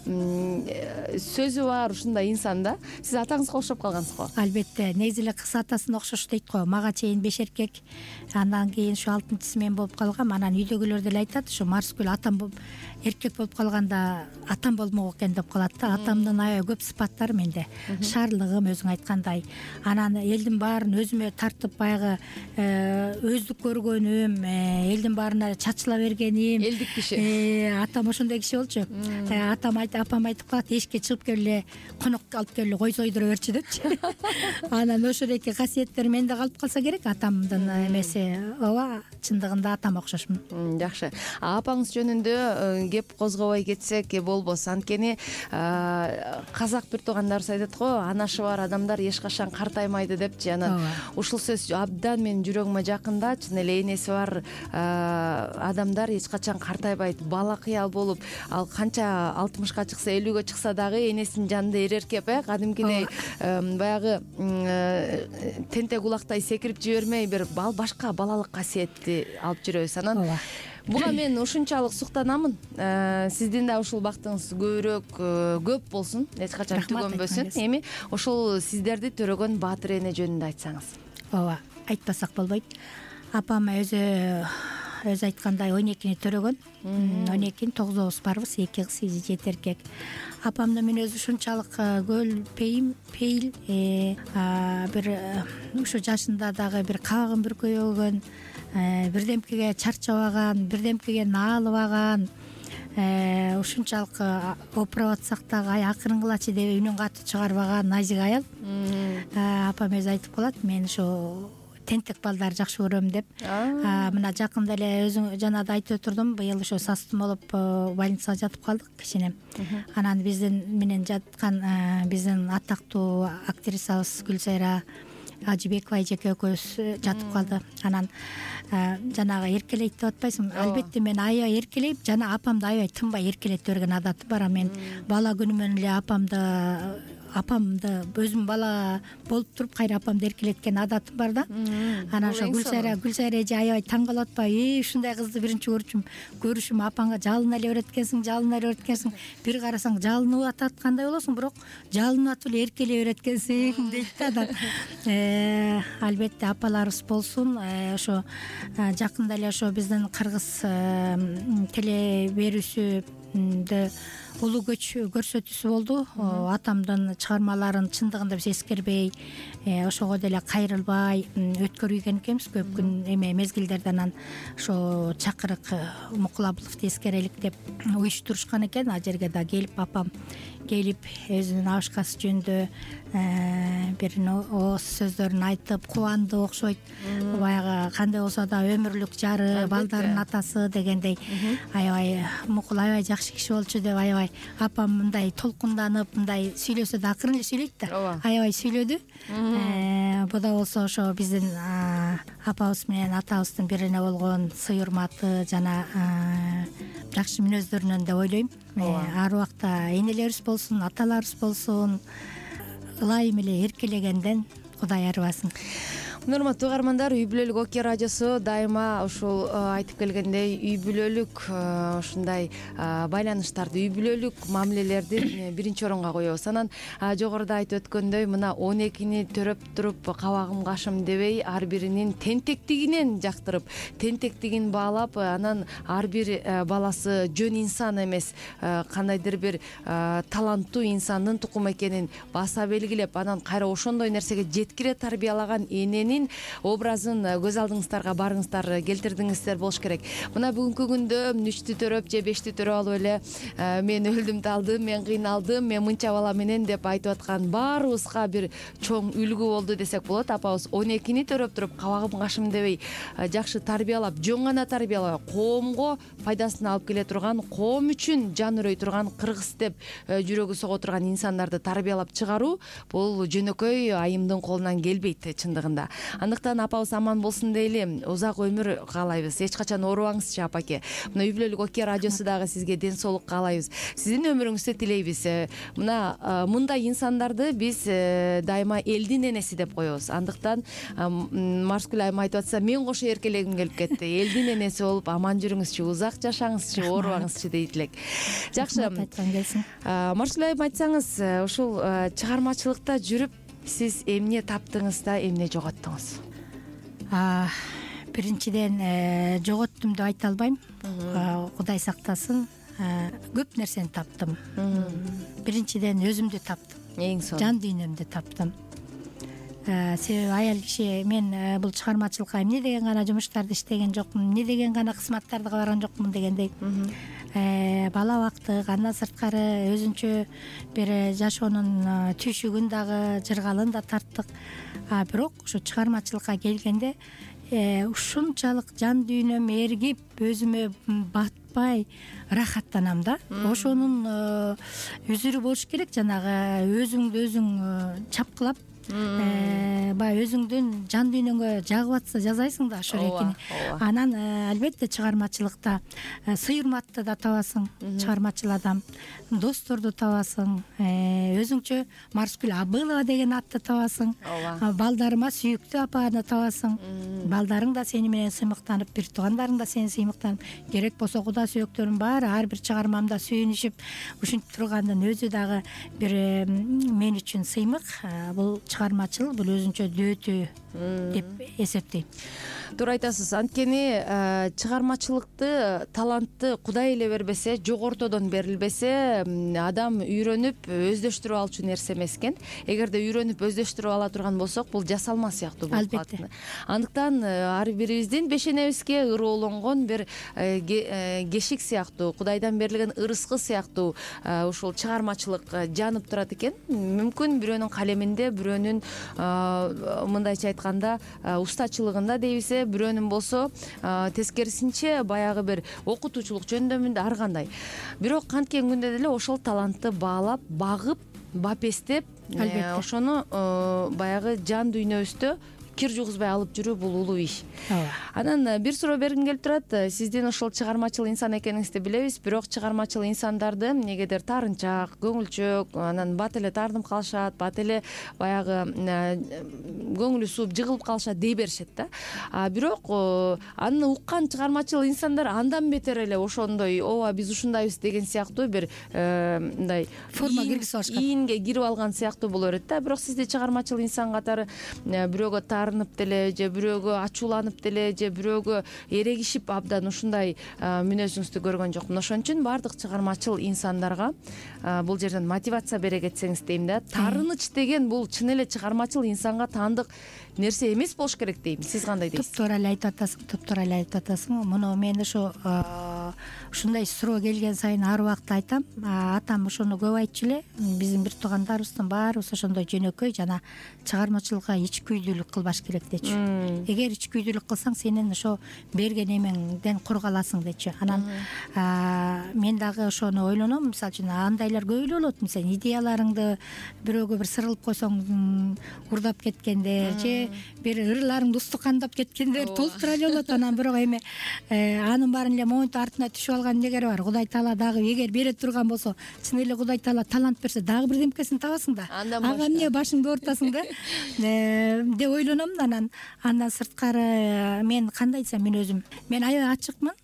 сөзү бар ушундай инсан да. Сиз атаңызга окшоп калгансыз го? Албетте, негизи эле кыз атасына окшош дейт го. Мага чейин беш эркек, андан кийин ушу алтынчысы мен болуп калгам. Анан үйдөгүлөр деле айтат, ушу Марскүл атам болуп эркек болуп калганда атам болмок экен деп калат да. Атамдын аябай көп сыпаттары менде. Шаарлыгым өзүң айткандай. Анан элдин баарын өзүмө тартып баягы өздүк көргөнүм, элдин баарына чачыла бергеним. Элдик киши. Атам ошондой киши болчу. Атам айтып, апам айтып калат, эшикке чыгып келе, конок алып келе, кой сойдура берчи депчи. Анан ошол эки касиеттер менде калып калса керек, атамдын эмеси. Ооба, чындыгында атам окшошмун. жакшы. Апаңыз жөнүндө кеп козгобой кетсек болбос. Анткени казак бир туугандарыбыз айтат го, анашы бар адамдар эч качан картаймайды депчи. Анан ушул сөз абдан менин жүрөгүмө жакында. Чын эле энеси бар адамдар эч качан картайбайт. Бала кыял болуп, ал канча алтымышка чыкса, элүүгө чыкса дагы энесинин жанында эреркеп, э, кадимкидей баягы тентек улактай секирип жибермей, бир башка балалык касиетти алып жүрөбүз. Анан буга мен ушунчалык суктанамын. Сиздин да ушул бактыңыз көбүрөөк көп болсун, эч качан түгөнбөсүн. Эми ошол сиздерди төрөгөн Баатыр эне жөнүндө айтсаңыз. Ооба, айтпасак болбойт. Апам өзү өзү айткандай он экини төрөгөн. он экинин тогузубуз барбыз, эки кыз, жети эркек. Апамдын мүнөзү ушунчалык көл, пейим, пейил, бир ушу жашында дагы бир кабагын бүркөбөгөн, бирдемкеге чарчабаган, бирдемкеге наалыбаган, ушунчалык опуруп атсак дагы ай акырынгылачы деп үнүн катуу чыгарбаган назик аял. Апам өзү айтып калат, мен ушу тентек балдарды жакшы көрөм деп. Мына жакында эле өзүң жана да айтып отурдум, быйыл ошо састын болуп больницага жатып калдык кичине. Анан биздин менен жаткан биздин атактуу актрисабыз Гүлсайра Ажыбекова эжеке экөөбүз жатып калды. Анан жанагы эркелейт деп атпайсыңбы? Албетте мен аябай эркелейм, жана апамды аябай тынбай эркелетип берген адатым бар. Мен бала күнүмөн эле апамды апамды өзүм бала болуп туруп кайра апамды эркелеткен адатым бар да. Анан ошо Гүлсайра Гүлсайра эже аябай таң калып атпайбы? Ушундай кызды биринчи көрчүм, көрүшүм, апаңга жалына эле берет экенсиң, жалына эле берет экенсиң. Бир карасаң жалынып атат кандай болосуң, бирок жалынып атып эле эркелей берет экенсиң дейт да. Албетте апаларыбыз болсун. Ошо жакында эле ошо биздин кыргыз теле берүүсүндө улуу көч көрсөтүүсү болду. Атамдын чыгармаларын чындыгында биз эскербей, ошого деле кайрылбай өткөргөн экенбиз көп күн эме мезгилдерде. Анан ошо чакырык Мукулабыловду эскерелик деп уюштурушкан экен. А жерге да келип, апам келип өзүнүн абышкасы жөнүндө бир ооз сөздөрүн айтып кубанды окшойт. Баягы кандай болсо да өмүрлүк жары, балдардын атасы дегендей аябай Мукул аябай жакшы киши болчу деп аябай апам мындай толкунданып, мындай сүйлөсө да акырын эле сүйлөйт да. Аябай сүйлөдү. Бу да болсо ошо биздин апабыз менен атабыздын бирине болгон сый урматы жана жакшы мүнөздөрүнөн деп ойлойм. Ар убакта энелерибиз болсун, аталарыбыз болсун, ылайым эле эркелегенден Кудай арыбасын. Урматтуу угармандар, үй бүлөлүк Оке радиосу дайыма ушул айтып келгендей үй бүлөлүк ушундай байланыштарды, үй бүлөлүк мамилелерди биринчи оронга коебуз. Анан жогоруда айтып өткөндөй, мына он экини төрөп туруп кабагым кашым дебей, ар биринин тентектигинен жактырып, тентектигин баалап, анан ар бир баласы жөн инсан эмес, кандайдыр бир таланттуу инсандын тукуму экенин баса белгилеп, анан кайра ошондой нерсеге жеткире тарбиялаган эненин образын көз алдыңыздарга барыңыздар, келтирдиңиздер болуш керек. Мына бүгүнкү күндө үчтү төрөп же бешти төрөп алып эле мен өлдүм талдым, мен кыйналдым, мен мынча бала менен деп айтып аткан баарыбызга бир чоң үлгү болду десек болот. Апабыз он экини төрөп туруп кабагым кашым дебей, жакшы тарбиялап, жөн гана тарбиялап, коомго пайдасын алып келе турган, коом үчүн жан үрөй турган, кыргыз деп жүрөгү сого турган инсандарды тарбиялап чыгаруу бул жөнөкөй айымдын колунан келбейт чындыгында. Андыктан апабыз аман болсун дейли, узак өмүр каалайбыз. Эч качан оорубаңызчы апаке. Мына үй бүлөлүк Оке радиосу дагы сизге ден соолук каалайбыз. Сиздин өмүрүңүздү тилейбиз. Мына мындай инсандарды биз дайыма элдин энеси деп коебуз. Андыктан Марскүл айым айтып атса, мен кошо эркелегим келип кетти. Элдин энеси болуп аман жүрүңүзчү, узак жашаңызчы, оорубаңызчы дейт элек. Жакшы. Марскүл айым, айтсаңыз, ушул чыгармачылыкта жүрүп сиз эмне таптыңыз да эмне жоготтуңуз? Биринчиден жоготтум деп айта албайм. Кудай сактасын. Көп нерсени таптым. Биринчиден өзүмдү таптым. Эң сонун. Жан дүйнөмдү таптым. Себеби аял киши, мен бул чыгармачылыкка эмне деген гана жумуштарды иштеген жокмун, эмне деген гана кызматтарды барган жокмун дегендей. Бала убактык, андан сырткары өзүнчө бир жашоонун түйшүгүн дагы, жыргалын да тарттык. Бирок ушу чыгармачылыкка келгенде ушунчалык жан дүйнөм эргип, өзүмө батпай рахаттанам да. Ошонун үзүрү болуш керек, жанагы өзүңдү өзүң чапкылап баягы өзүңдүн жан дүйнөңгө жагып атса жазайсың да ошо эркини. Анан албетте чыгармачылыкта сый-урматты да табасың, чыгармачыл адам, досторду табасың, өзүңчө Марскүл Абылова деген атты табасың, балдарыма сүйүктүү апаны табасың, балдарың да сени менен сыймыктанып, бир туугандарың да сени сыймыктанып, керек болсо куда сүйөктөрүм баары ар бир чыгармамда сүйүнүшүп ушинтип тургандын өзү дагы бир мен үчүн сыймык. Бул чыгармачыл, бул өзүнчө дөөтү деп эсептейм. Туура айтасыз. Анткени чыгармачылыкты, талантты Кудай эле бербесе, жогортодон берилбесе, адам үйрөнүп өздөштүрүп алчу нерсе эмес экен. Эгерде үйрөнүп өздөштүрүп ала турган болсок, бул жасалма сыяктуу болуп калат. Андыктан ар бирибиздин бешенебизге ыроолонгон бир кешик сыяктуу, Кудайдан берилген ырыскы сыяктуу ушул чыгармачылык жанып турат экен. Мүмкүн бирөөнүн калеминде, бирөөнүн мындайча айтканда устачылыгында дейбиз, бирөөнүн болсо тескерисинче баягы бир окутуучулук жөндөмүндө ар кандай. Бирок канткен күндө деле ошол талантты баалап, багып, бапестеп, ошону баягы жан дүйнөбүздө кир жугузбай алып жүрүү бул улуу иш. Анан бир суроо бергим келип турат. Сиздин ошол чыгармачыл инсан экениңизди билебиз, бирок чыгармачыл инсандарды эмнегедир таарынчаак, көңүлчөөк, анан бат эле тартынып калышат, бат эле баягы көңүлү сууп жыгылып калышат дей беришет да. Бирок аны уккан чыгармачыл инсандар андан бетер эле ошондой, ооба биз ушундайбыз деген сыяктуу бир мындай форма киргизип алышкан, ийинге кирип алган сыяктуу боло берет да. Бирок сизди чыгармачыл инсан катары бирөөгө таарынып деле, же бирөөгө ачууланып деле, же бирөөгө эрегишип абдан ушундай мүнөзүңүздү көргөн жокмун. Ошон үчүн баардык чыгармачыл инсандарга бул жерден мотивация бере кетсеңиз дейм да. Таарыныч деген бул чын эле чыгармачыл инсанга таандык нерсе эмес болуш керек дейм. Сиз кандай дейсиз? Топтуура эле айтып атасың, топтуура эле айтып атасың. Муну мен ошо ушундай суроо келген сайын ар убакта айтам. Атам ошону көп айтчу эле. Биздин бир туугандарыбыздын баарыбыз ошондой жөнөкөй жана чыгармачылыкка ичкүйдүүлүк кылбаш керек дечү. Эгер ичкүйдүүлүк кылсаң, сенин ошо берген эмеңден құр каласың дечү. Анан мен дагы ошону ойлоном. Мисалы үчүн андайлар көп эле болот. Сен идеяларыңды бирөөгө бир сырылып койсоң урдап кеткендер, же бир ырларыңды устукандап кеткендер толтура эле болот. Анан бирок эми анын баарын эле момунтип артына түшүп алган эмнегери бар? Кудай Таала дагы эгер бере турган болсо, чын эле Кудай Таала талант берсе, дагы бирдемкесин табасың да. Ага эмне башыңды оорутасың да деп ойлоном. Анан андан сырткары мен кандай десем, мен өзүм мен аябай ачыкмын,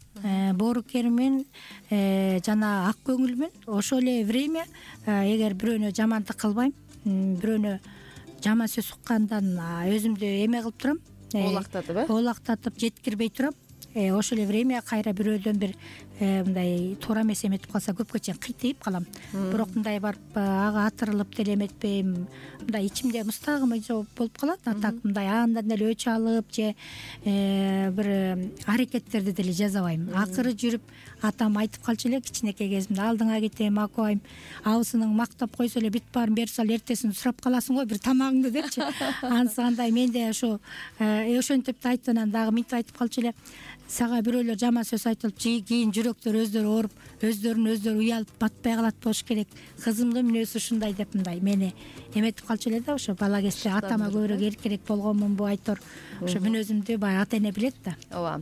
боорукермин жана ак көңүлмүн. Ошол эле время эгер бирөөнө жамандык кылбайм, бирөөнө жаман сөз уккандан өзүмдү эме кылып турам, оолактатып э оолактатып жеткирбей турам. Ошол эле время кайра бирөөдөн бир мындай туура эмес эметип калса, көпкө чейин кыйтыйып калам. Бирок мындай барып ага атырылып деле эметпейм. Мындай ичимде мустагым болуп калат. Атак мындай андан эле өч алып же бир аракеттерди деле жасабайм. Акыры жүрүп атам айтып калчу эле кичинекей кезимде, алдыңа кетем акубайм, абысының мактап койсо эле бүт баарын берип сал, эртесин сурап каласың го бир тамагыңды депчи. Анысы андай менде ошо ошентип айтып, анан дагы мынтип айтып калчу эле. Сага бирөөлөр жаман сөз айтылып, кийин жүрөктөр өздөрү ооруп, өздөрүн өздөрү уялып батпай калат болуш керек. Кызымдын мүнөзү ушундай деп мындай мени эметип калчу эле да. Ошо бала кезде атама көбүрөөк эркерээк болгонмунбу айтор. Ошо мүнөзүмдү баягы ата эне билет да. Ооба.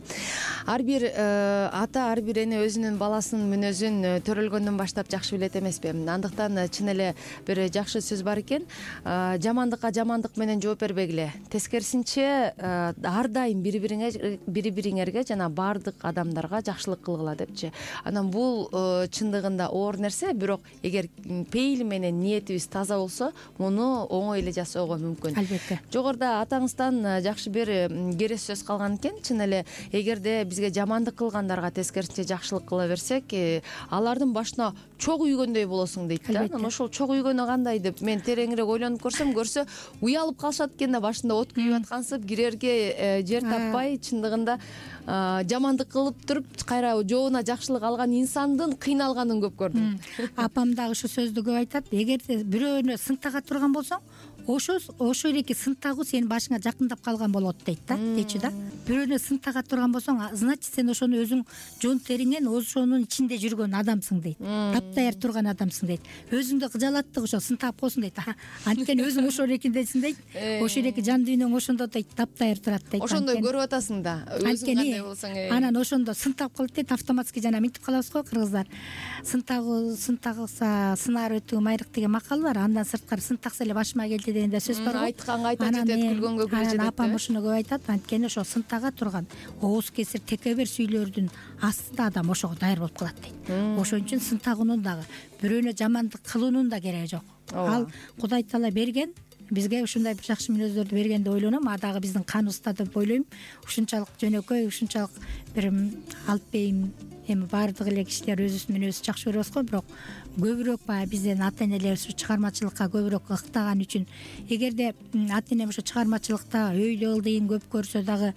Ар бир ата, ар бир эне өзүнүн баласынын мүнөзүн төрөлгөндөн баштап жакшы билет эмеспи? Андыктан чын эле бир жакшы сөз бар экен. Жамандыкка жамандык менен жооп бербегиле. Тескерисинче ар дайым бири-бириңерге, бири-бириңерге жана баардык адамдарга жакшылык кылгыла депчи. Анан бул чындыгында оор нерсе, бирок эгер пейили менен ниетибиз таза болсо, муну оңой эле жасоого мүмкүн. Албетте. Жогоруда атаңыздан жакшы бир керес сөз калган экен. Чын эле эгерде бизге жамандык кылгандарга тескерисинче жакшылык кыла берсек, алардын башына чок үйгөндөй болосуң дейт да. Анан ошол чок үйгөнү кандай деп мен тереңирээк ойлонуп көрсөм, көрсө уялып калышат экен да, башында от күйүп аткансып, кирерге жер таппай, чындыгында жамандык кылып туруп кайра жообуна жакшылык алган инсандын кыйналганын көп көрдүм. Апам дагы ушу сөздү көп айтат. Эгерде бирөөнү сынтага турган болсоң, ошо ошо эки сын тагуу сенин башыңа жакындап калган болот дейт да дечи да. Бирөөнө сын тага турган болсоң, значит сен ошону өзүң жон териңен ошонун ичинде жүргөн адамсың дейт. Таптаяр турган адамсың дейт. Өзүңдү кыжалаттык ошо сын таап койсуң дейт. Анткени өзүң ошол экиндесиң дейт. Ошол эки жан дүйнөң ошондо дейт, таптаяр турат дейт. Ошондой көрүп атасың да. Өзүң кандай болсоң. Анан ошондо сын таап калат дейт, автоматский жана минтип калабыз го кыргыздар. Сын тагуу, сын тагса сынаар өтүү майрык деген макал бар. Андан сырткары сын такса эле башыма келди деген да сөз бар го. Айтканга айта жетет, күлгөнгө күлө жетет. Апам ошону көп айтат. Анткени ошо сын тага турган ооз кесир, текебер сүйлөрдүн астында адам ошого даяр болуп калат дейт. Ошон үчүн сын тагуунун дагы, бирөөнө жамандык кылуунун да кереги жок. Ал Кудай Таала берген, бизге ушундай жакшы мүнөздөрдү берген деп ойлоном. А дагы биздин каныбызда деп ойлойм. Ушунчалык жөнөкөй, ушунчалык бир алпейм, эми баардык эле кишилер өзүбүздүн мүнөзүбүздү жакшы көрөбүз го, бирок көбүрөөк баягы бизден ата энелерибиз чыгармачылыкка көбүрөөк ыктаган үчүн, эгерде ата энем ошо чыгармачылыкта өйдө ылдыйын көп көрсө дагы,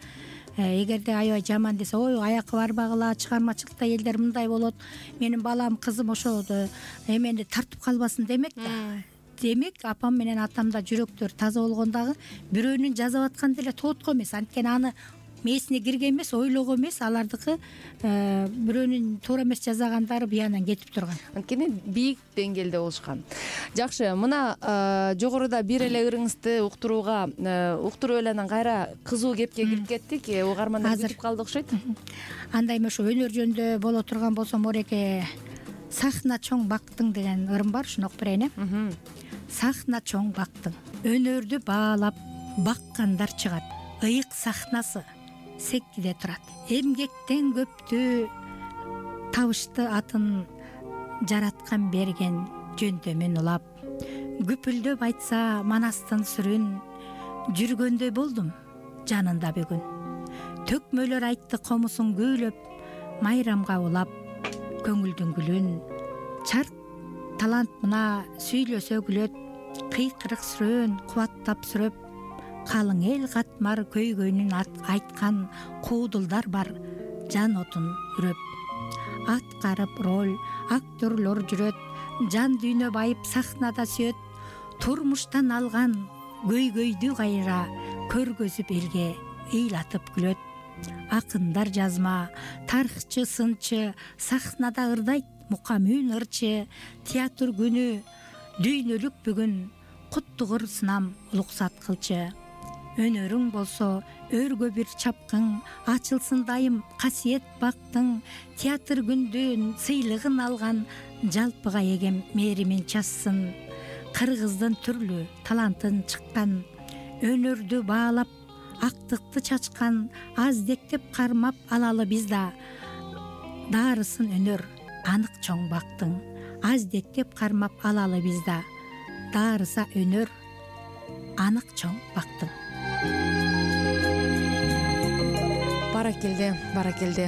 эгерде аябай жаман десе, ой аякка барбагыла, чыгармачылыкта элдер мындай болот, менин балам, кызым ошо эмени тартып калбасын демек да. Демек апам менен атамда жүрөктөр таза болгон дагы бирөөнүн жазып атканы деле тоотко эмес. Анткени аны мээсине кирген эмес, ойлогон эмес, алардыкы бирөөнүн туура эмес жазагандары буянан кетип турган. Анткени бийик деңгээлде болушкан. Жакшы, мына жогоруда бир эле ырыңызды уктурууга уктуруп эле анан кайра кызуу кепке кирип кеттик. Угармандар күтүп калды окшойт. Андай ошо өнөр жөнүндө боло турган болсом, ореке сахна чоң бактың деген ырым бар, ушуну окуп берейин э. Сахна чоң бактың, өнөрдү баалап баккандар чыгат. Ыйык сахнасы секкиде турат. Эмгектен көптү табышты атын жараткан берген жөндөмүн улап. Күпүлдөп айтса манастын сүрүн, жүргөндөй болдум жанында бүгүн. Төкмөлөр айтты комусун күүлөп, майрамга улап көңүлдүн гүлүн. Чарк талант мына сүйлөсө күлөт, кыйкырык сүрөн кубаттап сүрөп. Калың эл катмар көйгөйүнүн айткан куудулдар бар, жан отун үрөп. Аткарып роль актерлор жүрөт, жан дүйнө байып сахнада сүйөт. Турмуштан алган көйгөйдү кайра көргөзүп элге ыйлатып күлөт. Акындар жазма, тарыхчы сынчы сахнада ырдайт, мукамүн ырчы. Театр күнү дүйнөлүк бүгүн, куттугур сынам улуксат кылчы. Өнөрүң болсо өргө бир чапкың, ачылсын дайым касиет бактың. Театр күндүн сыйлыгын алган, жалпыга эгем мээримин чассын. Кыргыздын түрлүү талантын чыккан, өнөрдү баалап актыкты чачкан. Аздектеп кармап алалы биз да, даарысын өнөр анык чоң бактың. Аздектеп кармап алалы биз да, даарыса өнөр анык чоң бактың. Баракелде, баракелде.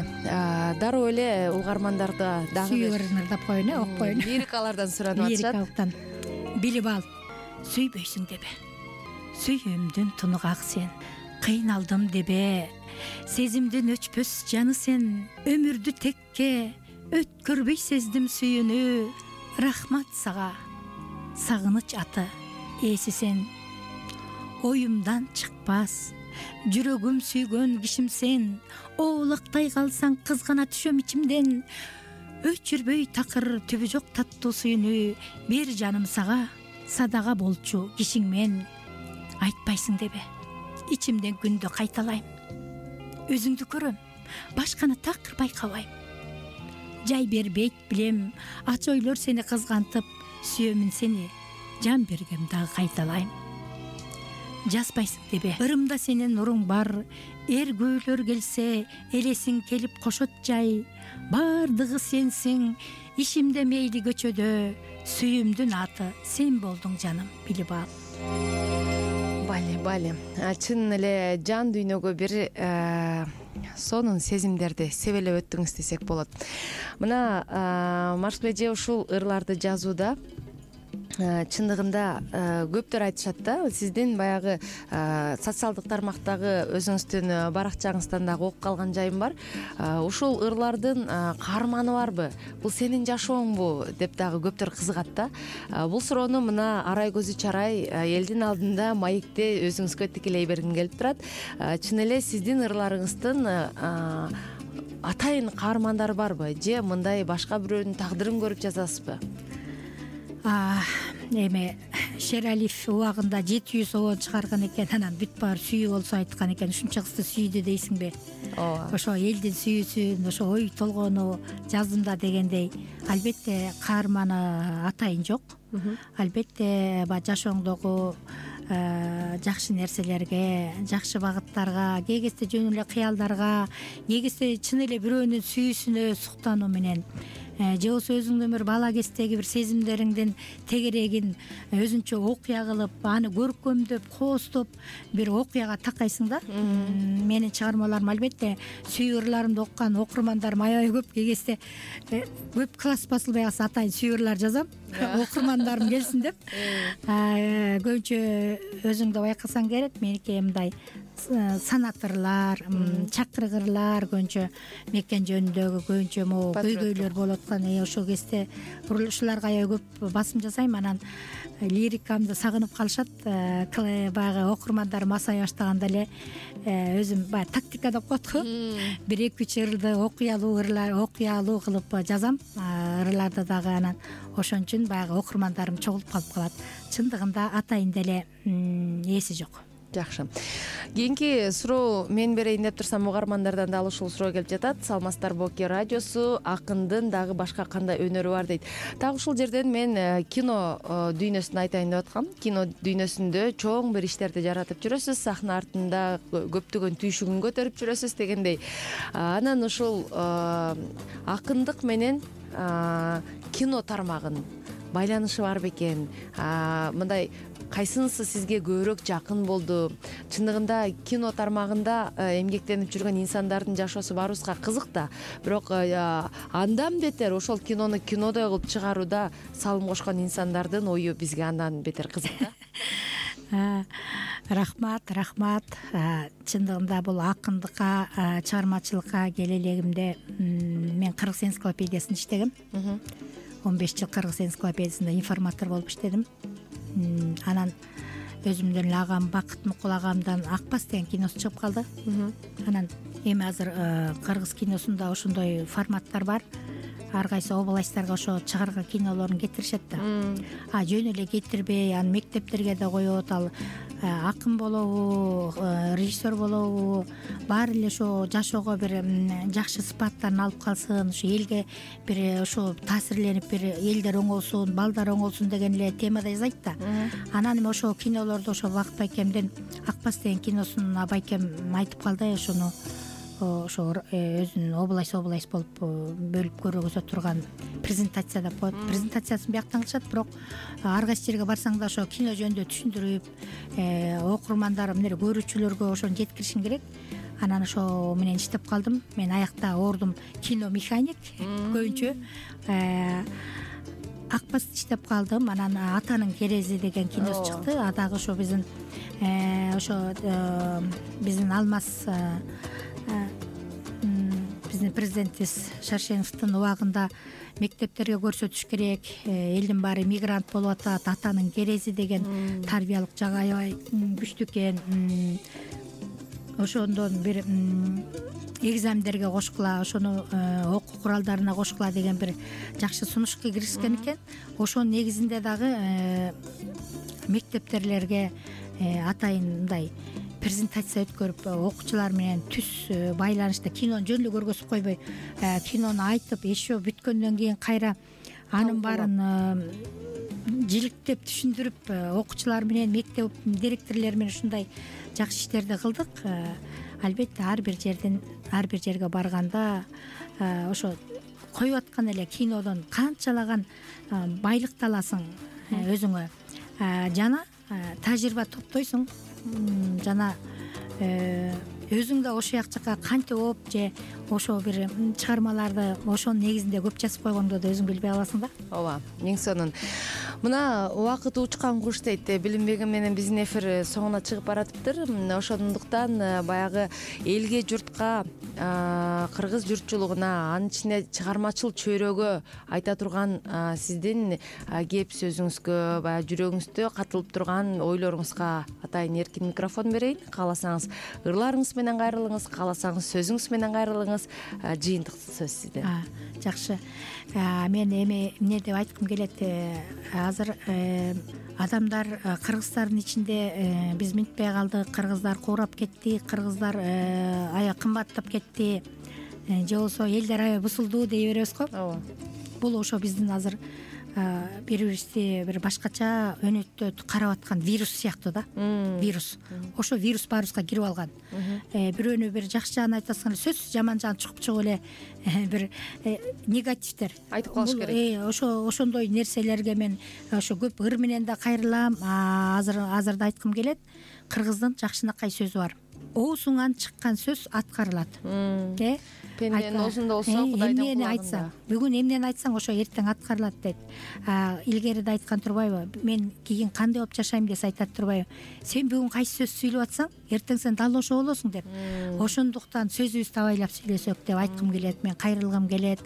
Дароо эле угармандарда дагы сүйүп ырдап коеюн э, окуп коеюн. Лирикалардан суранып атышат. Лирикалыктан билип ал, сүйбөйсүң дебе, сүйүүмдүн тунук ак сен. Кыйналдым дебе, сезимдин өчпөс жаны сен. Өмүрдү текке өткөрбөй сездим сүйүүнү. Рахмат сага, сагыныч аты ээси сен. Оюмдан чыкпас, жүрөгүм сүйгөн кишим сен. Оолактай калсаң кызгана түшөм ичимден. Өчүрбөй такыр түбү жок таттуу сүйүүнү. Бир жаным сага, садага болчу кишиң мен. Айтпайсың дебе, ичимден күндө кайталайм. Өзүңдү көрөм, башканы такыр байкабайм. Жай бербейт билем, ач ойлор сени кызгантып. Сүйөмүн сени, жан бергем дагы кайталайм. Жазбайсың дебе, ырымда сенин нуруң бар. Эргүүлөр келсе, элесиң келип кошот жай. Бардыгы сенсиң, ишимде мейли көчөдө. Сүйүүмдүн аты сен болдуң жаным, билип ал. Бали, бали. Чын эле жан дүйнөгө бир сонун сезимдерди себелеп өттүңүз десек болот. Мына Маршал эже ушул ырларды жазууда чындыгында көптөр айтышат да, сиздин баягы социалдык тармактагы өзүңүздүн баракчаңыздан дагы окуп калган жайым бар. Ушул ырлардын каарманы барбы? Бул сенин жашооңбу деп дагы көптөр кызыгат да. Бул суроону мына Арай көзү чарай элдин алдында маекте өзүңүзгө тикелей бергим келип турат. Чын эле сиздин ырларыңыздын атайын каармандары барбы, же мындай башка бирөөнүн тагдырын көрүп жазасызбы? Эми Шералиев убагында жети жүз обон чыгарган экен, анан бүт баары сүйүү болсо айткан экен, ушунча кызды сүйдү дейсиңби? Ооба. Ошо элдин сүйүүсүн, ошо ой толгоону жаздым да дегендей. Албетте каарманы атайын жок. Албетте баягы жашооңдогу жакшы нерселерге, жакшы багыттарга, кээ кезде жөн эле кыялдарга, кээ кезде чын эле бирөөнүн сүйүүсүнө суктануу менен, же болбосо өзүңдүн бир бала кездеги бир сезимдериңдин тегерегин өзүнчө окуя кылып, аны көркөмдөп, кооздоп бир окуяга такайсың да. Менин чыгармаларым албетте сүйүү ырларымды окуган окурмандарым аябай көп. Кээ кезде көп класс басылбай калса атайын сүйүү ырлар жазам, окурмандарым келсин деп. Көбүнчө өзүң да байкасаң керек, меники мындай санат ырлар, чакырык ырлар, көбүнчө мекен жөнүндөгү көбүнчө могу көйгөйлөр болуп аткан. Ошол кезде ушуларга аябай көп басым жасайм. Анан лирикамды сагынып калышат. Баягы окурмандарым асай баштаганда эле өзүм баягы тактика деп коет го. Бир эки үч ырды окуялуу ырлар, окуялуу кылып жазам. Ырларды дагы анан ошон үчүн баягы окурмандарым чогулуп калып калат. Чындыгында атайын деле эси жок. Жакшы. Кийинки суроо мен берейин деп турсам, угармандардан дагы ушул суроо келип жатат. Салмастар Боки радиосу, акындын дагы башка кандай өнөрү бар дейт. Так ушул жерден мен кино дүйнөсүн айтайын деп аткам. Кино дүйнөсүндө чоң бир иштерди жаратып жүрөсүз, сахна артында көптөгөн түйшүгүн көтөрүп жүрөсүз дегендей. Анан ушул акындык менен кино тармагынын байланышы бар бекен? Мындай кайсынысы сизге көбүрөөк жакын болду? Чындыгында кино тармагында эмгектенип жүргөн инсандардын жашоосу баарыбызга кызык да, бирок андан бетер ошол кинону кинодой кылып чыгарууда салым кошкон инсандардын ою бизге андан бетер кызык да. Рахмат, рахмат. Чындыгында бул акындыкка, чыгармачылыкка келе элегимде мен кыргыз энциклопедиясында иштегем. он беш жыл кыргыз энциклопедиясында информатор болуп иштедим. Анан өзүмдүн эле агам Бакыт Мукул агамдан Акбас деген киносу чыгып калды. Анан эми азыр кыргыз киносунда ошондой форматтар бар. Ар кайсы областьтарга ошо чыгарган кинолорун кетиришет да. А жөн эле кетирбей, аны мектептерге да коет. Ал акын болобу, режиссер болобу, баары эле ошо жашоого бир жакшы сыпаттарын алып калсын, ошо элге бир ошо таасирленип, бир элдер оңолсун, балдар оңолсун деген эле темада жасайт да. Анан эми ошо кинолорду ошо Бакыт байкемдин Акбас деген киносун байкем айтып калды. Ошону ошо өзүнүн область область болуп бөлүп көргөзө турган презентация деп коет. Презентациясын бияктан кылышат, бирок ар кайсы жерге барсаң да ошо кино жөнүндө түшүндүрүп, окурмандар эмне көрүүчүлөргө ошону жеткиришиң керек. Анан ошо менен иштеп калдым. Мен аякта ордум кино механик көбүнчө. Акбаст иштеп калдым. Анан Атанын керези деген киносу чыкты. А дагы ошо биздин ошо биздин Алмаз биздин президентибиз Шаршеновдун убагында мектептерге көрсөтүш керек, элдин баары мигрант болуп атат, Атанын керези деген тарбиялык жагы аябай күчтүү экен. Ошондон бир экзамендерге кошкула, ошону окуу куралдарына кошкула деген бир жакшы сунушка киришкен экен. Ошонун негизинде дагы мектептерлерге атайын мындай презентация өткөрүп, окуучулар менен түз байланышта кинону жөн эле көргөзүп койбой, кинону айтып, еще бүткөндөн кийин кайра анын баарын жиликтеп түшүндүрүп, окуучулар менен, мектеп директорлори менен ушундай жакшы иштерди кылдык. Албетте ар бир жерден, ар бир жерге барганда ошо коюп аткан эле кинодон канчалаган байлыкты аласың өзүңө, жана тажрыйба топтойсуң, жана өзүң да ошол жакка кантип болуп же ошо бир чыгармаларды ошонун негизинде көп жазып койгоңду да өзүң билбей каласың да. Ооба, эң сонун. Мына убакыт учкан куш дейт, билинбегим менен биздин эфир соңуна чыгып баратыптыр. Ошондуктан баягы элге, журтка, кыргыз журтчулугуна, анын ичинде чыгармачыл чөйрөгө айта турган сиздин кеп сөзүңүзгө, баягы жүрөгүңүздө катылып турган ойлоруңузга атайын эркин микрофон берейин. Кааласаңыз ырларыңыз менен кайрылыңыз, кааласаңыз сөзүңүз менен кайрылыңыз. Жыйынтык сөз сизде. Жакшы. Мен эми эмне деп айткым келет, азыр адамдар кыргыздардын ичинде биз минтпей калдык, кыргыздар куурап кетти, кыргыздар аябай кымбаттап кетти, же болбосо элдер аябай бузулду дей беребиз го. Ооба. Бул ошо биздин азыр бири бирибизди бир башкача өнөктөп карап аткан вирус сыяктуу да. Вирус. Ошо вирус баарыбызга кирип алган. Бирөөнү бир жакшы жагын айтасың, сөзсүз жаман жагын чугуп чыгып эле бир негативдер айтып калыш керек. Ошо ошондой нерселерге мен ошо көп ыр менен да кайрылам. Азыр азыр да айткым келет. Кыргыздын жакшынакай сөзү бар. Оозуңан чыккан сөз аткарылат. Э? Пенденин оозунда болсо Кудайдын эмнени айтсаң, бүгүн эмнени айтсаң ошо эртең аткарылат дейт. Илгери да айткан турбайбы? Мен кийин кандай болуп жашайм десе айтат турбайбы? Сен бүгүн кайсы сөз сүйлөп атсаң, эртең сен дал ошо болосуң деп. Ошондуктан сөзүбүздү абайлап сүйлөсөк деп айткым келет. Мен кайрылгым келет.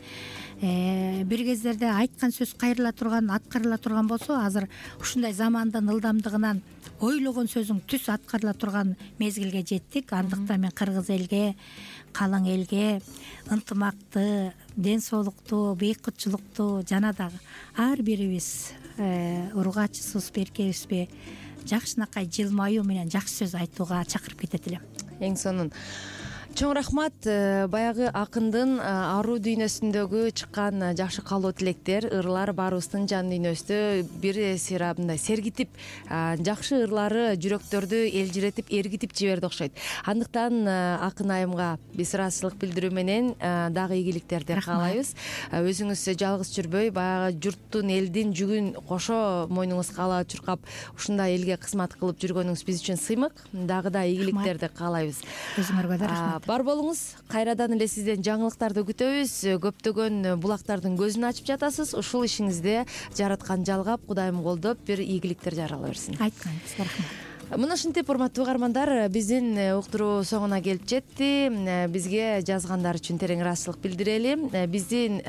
Бир кездерде айткан сөз кайрыла турган, аткарыла турган болсо, азыр ушундай замандын ылдамдыгынан ойлогон сөзүң түз аткарыла турган мезгилге жеттик. Андыктан мен кыргыз элге, калың элге ынтымакты, ден соолукту, бейкутчулукту жана дагы ар бирибиз ургачысыбыз, беркебизби жакшынакай жылмаюу менен жакшы сөз айтууга чакырып кетет элем. Эң сонун. Чоң рахмат. Баягы акындын аруу дүйнөсүндөгү чыккан жакшы каалоо тилектер, ырлар баарыбыздын жан дүйнөбүздү бир сыйра мындай сергитип, жакшы ырлары жүрөктөрдү элжиретип, эргитип жиберди окшойт. Андыктан акын айымга биз ыраазычылык билдирүү менен дагы ийгиликтерди каалайбыз. Өзүңүз жалгыз жүрбөй, баягы журттун, элдин жүгүн кошо мойнуңузга ала чуркап, ушундай элге кызмат кылып жүргөнүңүз биз үчүн сыймык. Дагы да ийгиликтерди каалайбыз. Өзүңөргө да рахмат. Бар болуңуз. Кайрадан эле сизден жаңылыктарды күтөбүз. Көптөгөн булактардын көзүн ачып жатасыз. Ушул ишиңизде жараткан жалгап, Кудайым колдоп, бир ийгиликтер жарала берсин. Айтканыңыз рахмат. Мына ушинтип, урматтуу угармандар, биздин уктуруу соңуна келип жетти. Бизге жазгандар үчүн терең ыраазычылык билдирели. Биздин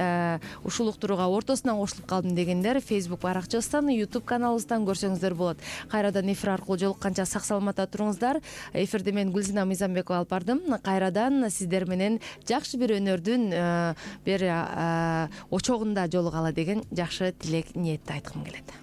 ушул уктурууга ортосунан кошулуп калдым дегендер Facebook баракчабыздан, YouTube каналыбыздан көрсөңүздөр болот. Кайрадан эфир аркылуу жолукканча сак саламатта туруңуздар. Эфирди мен Гүлзина Мыйзамбекова алып бардым. Кайрадан сиздер менен жакшы бир өнөрдүн бир очогунда жолугалы деген жакшы тилек, ниетти айткым келет.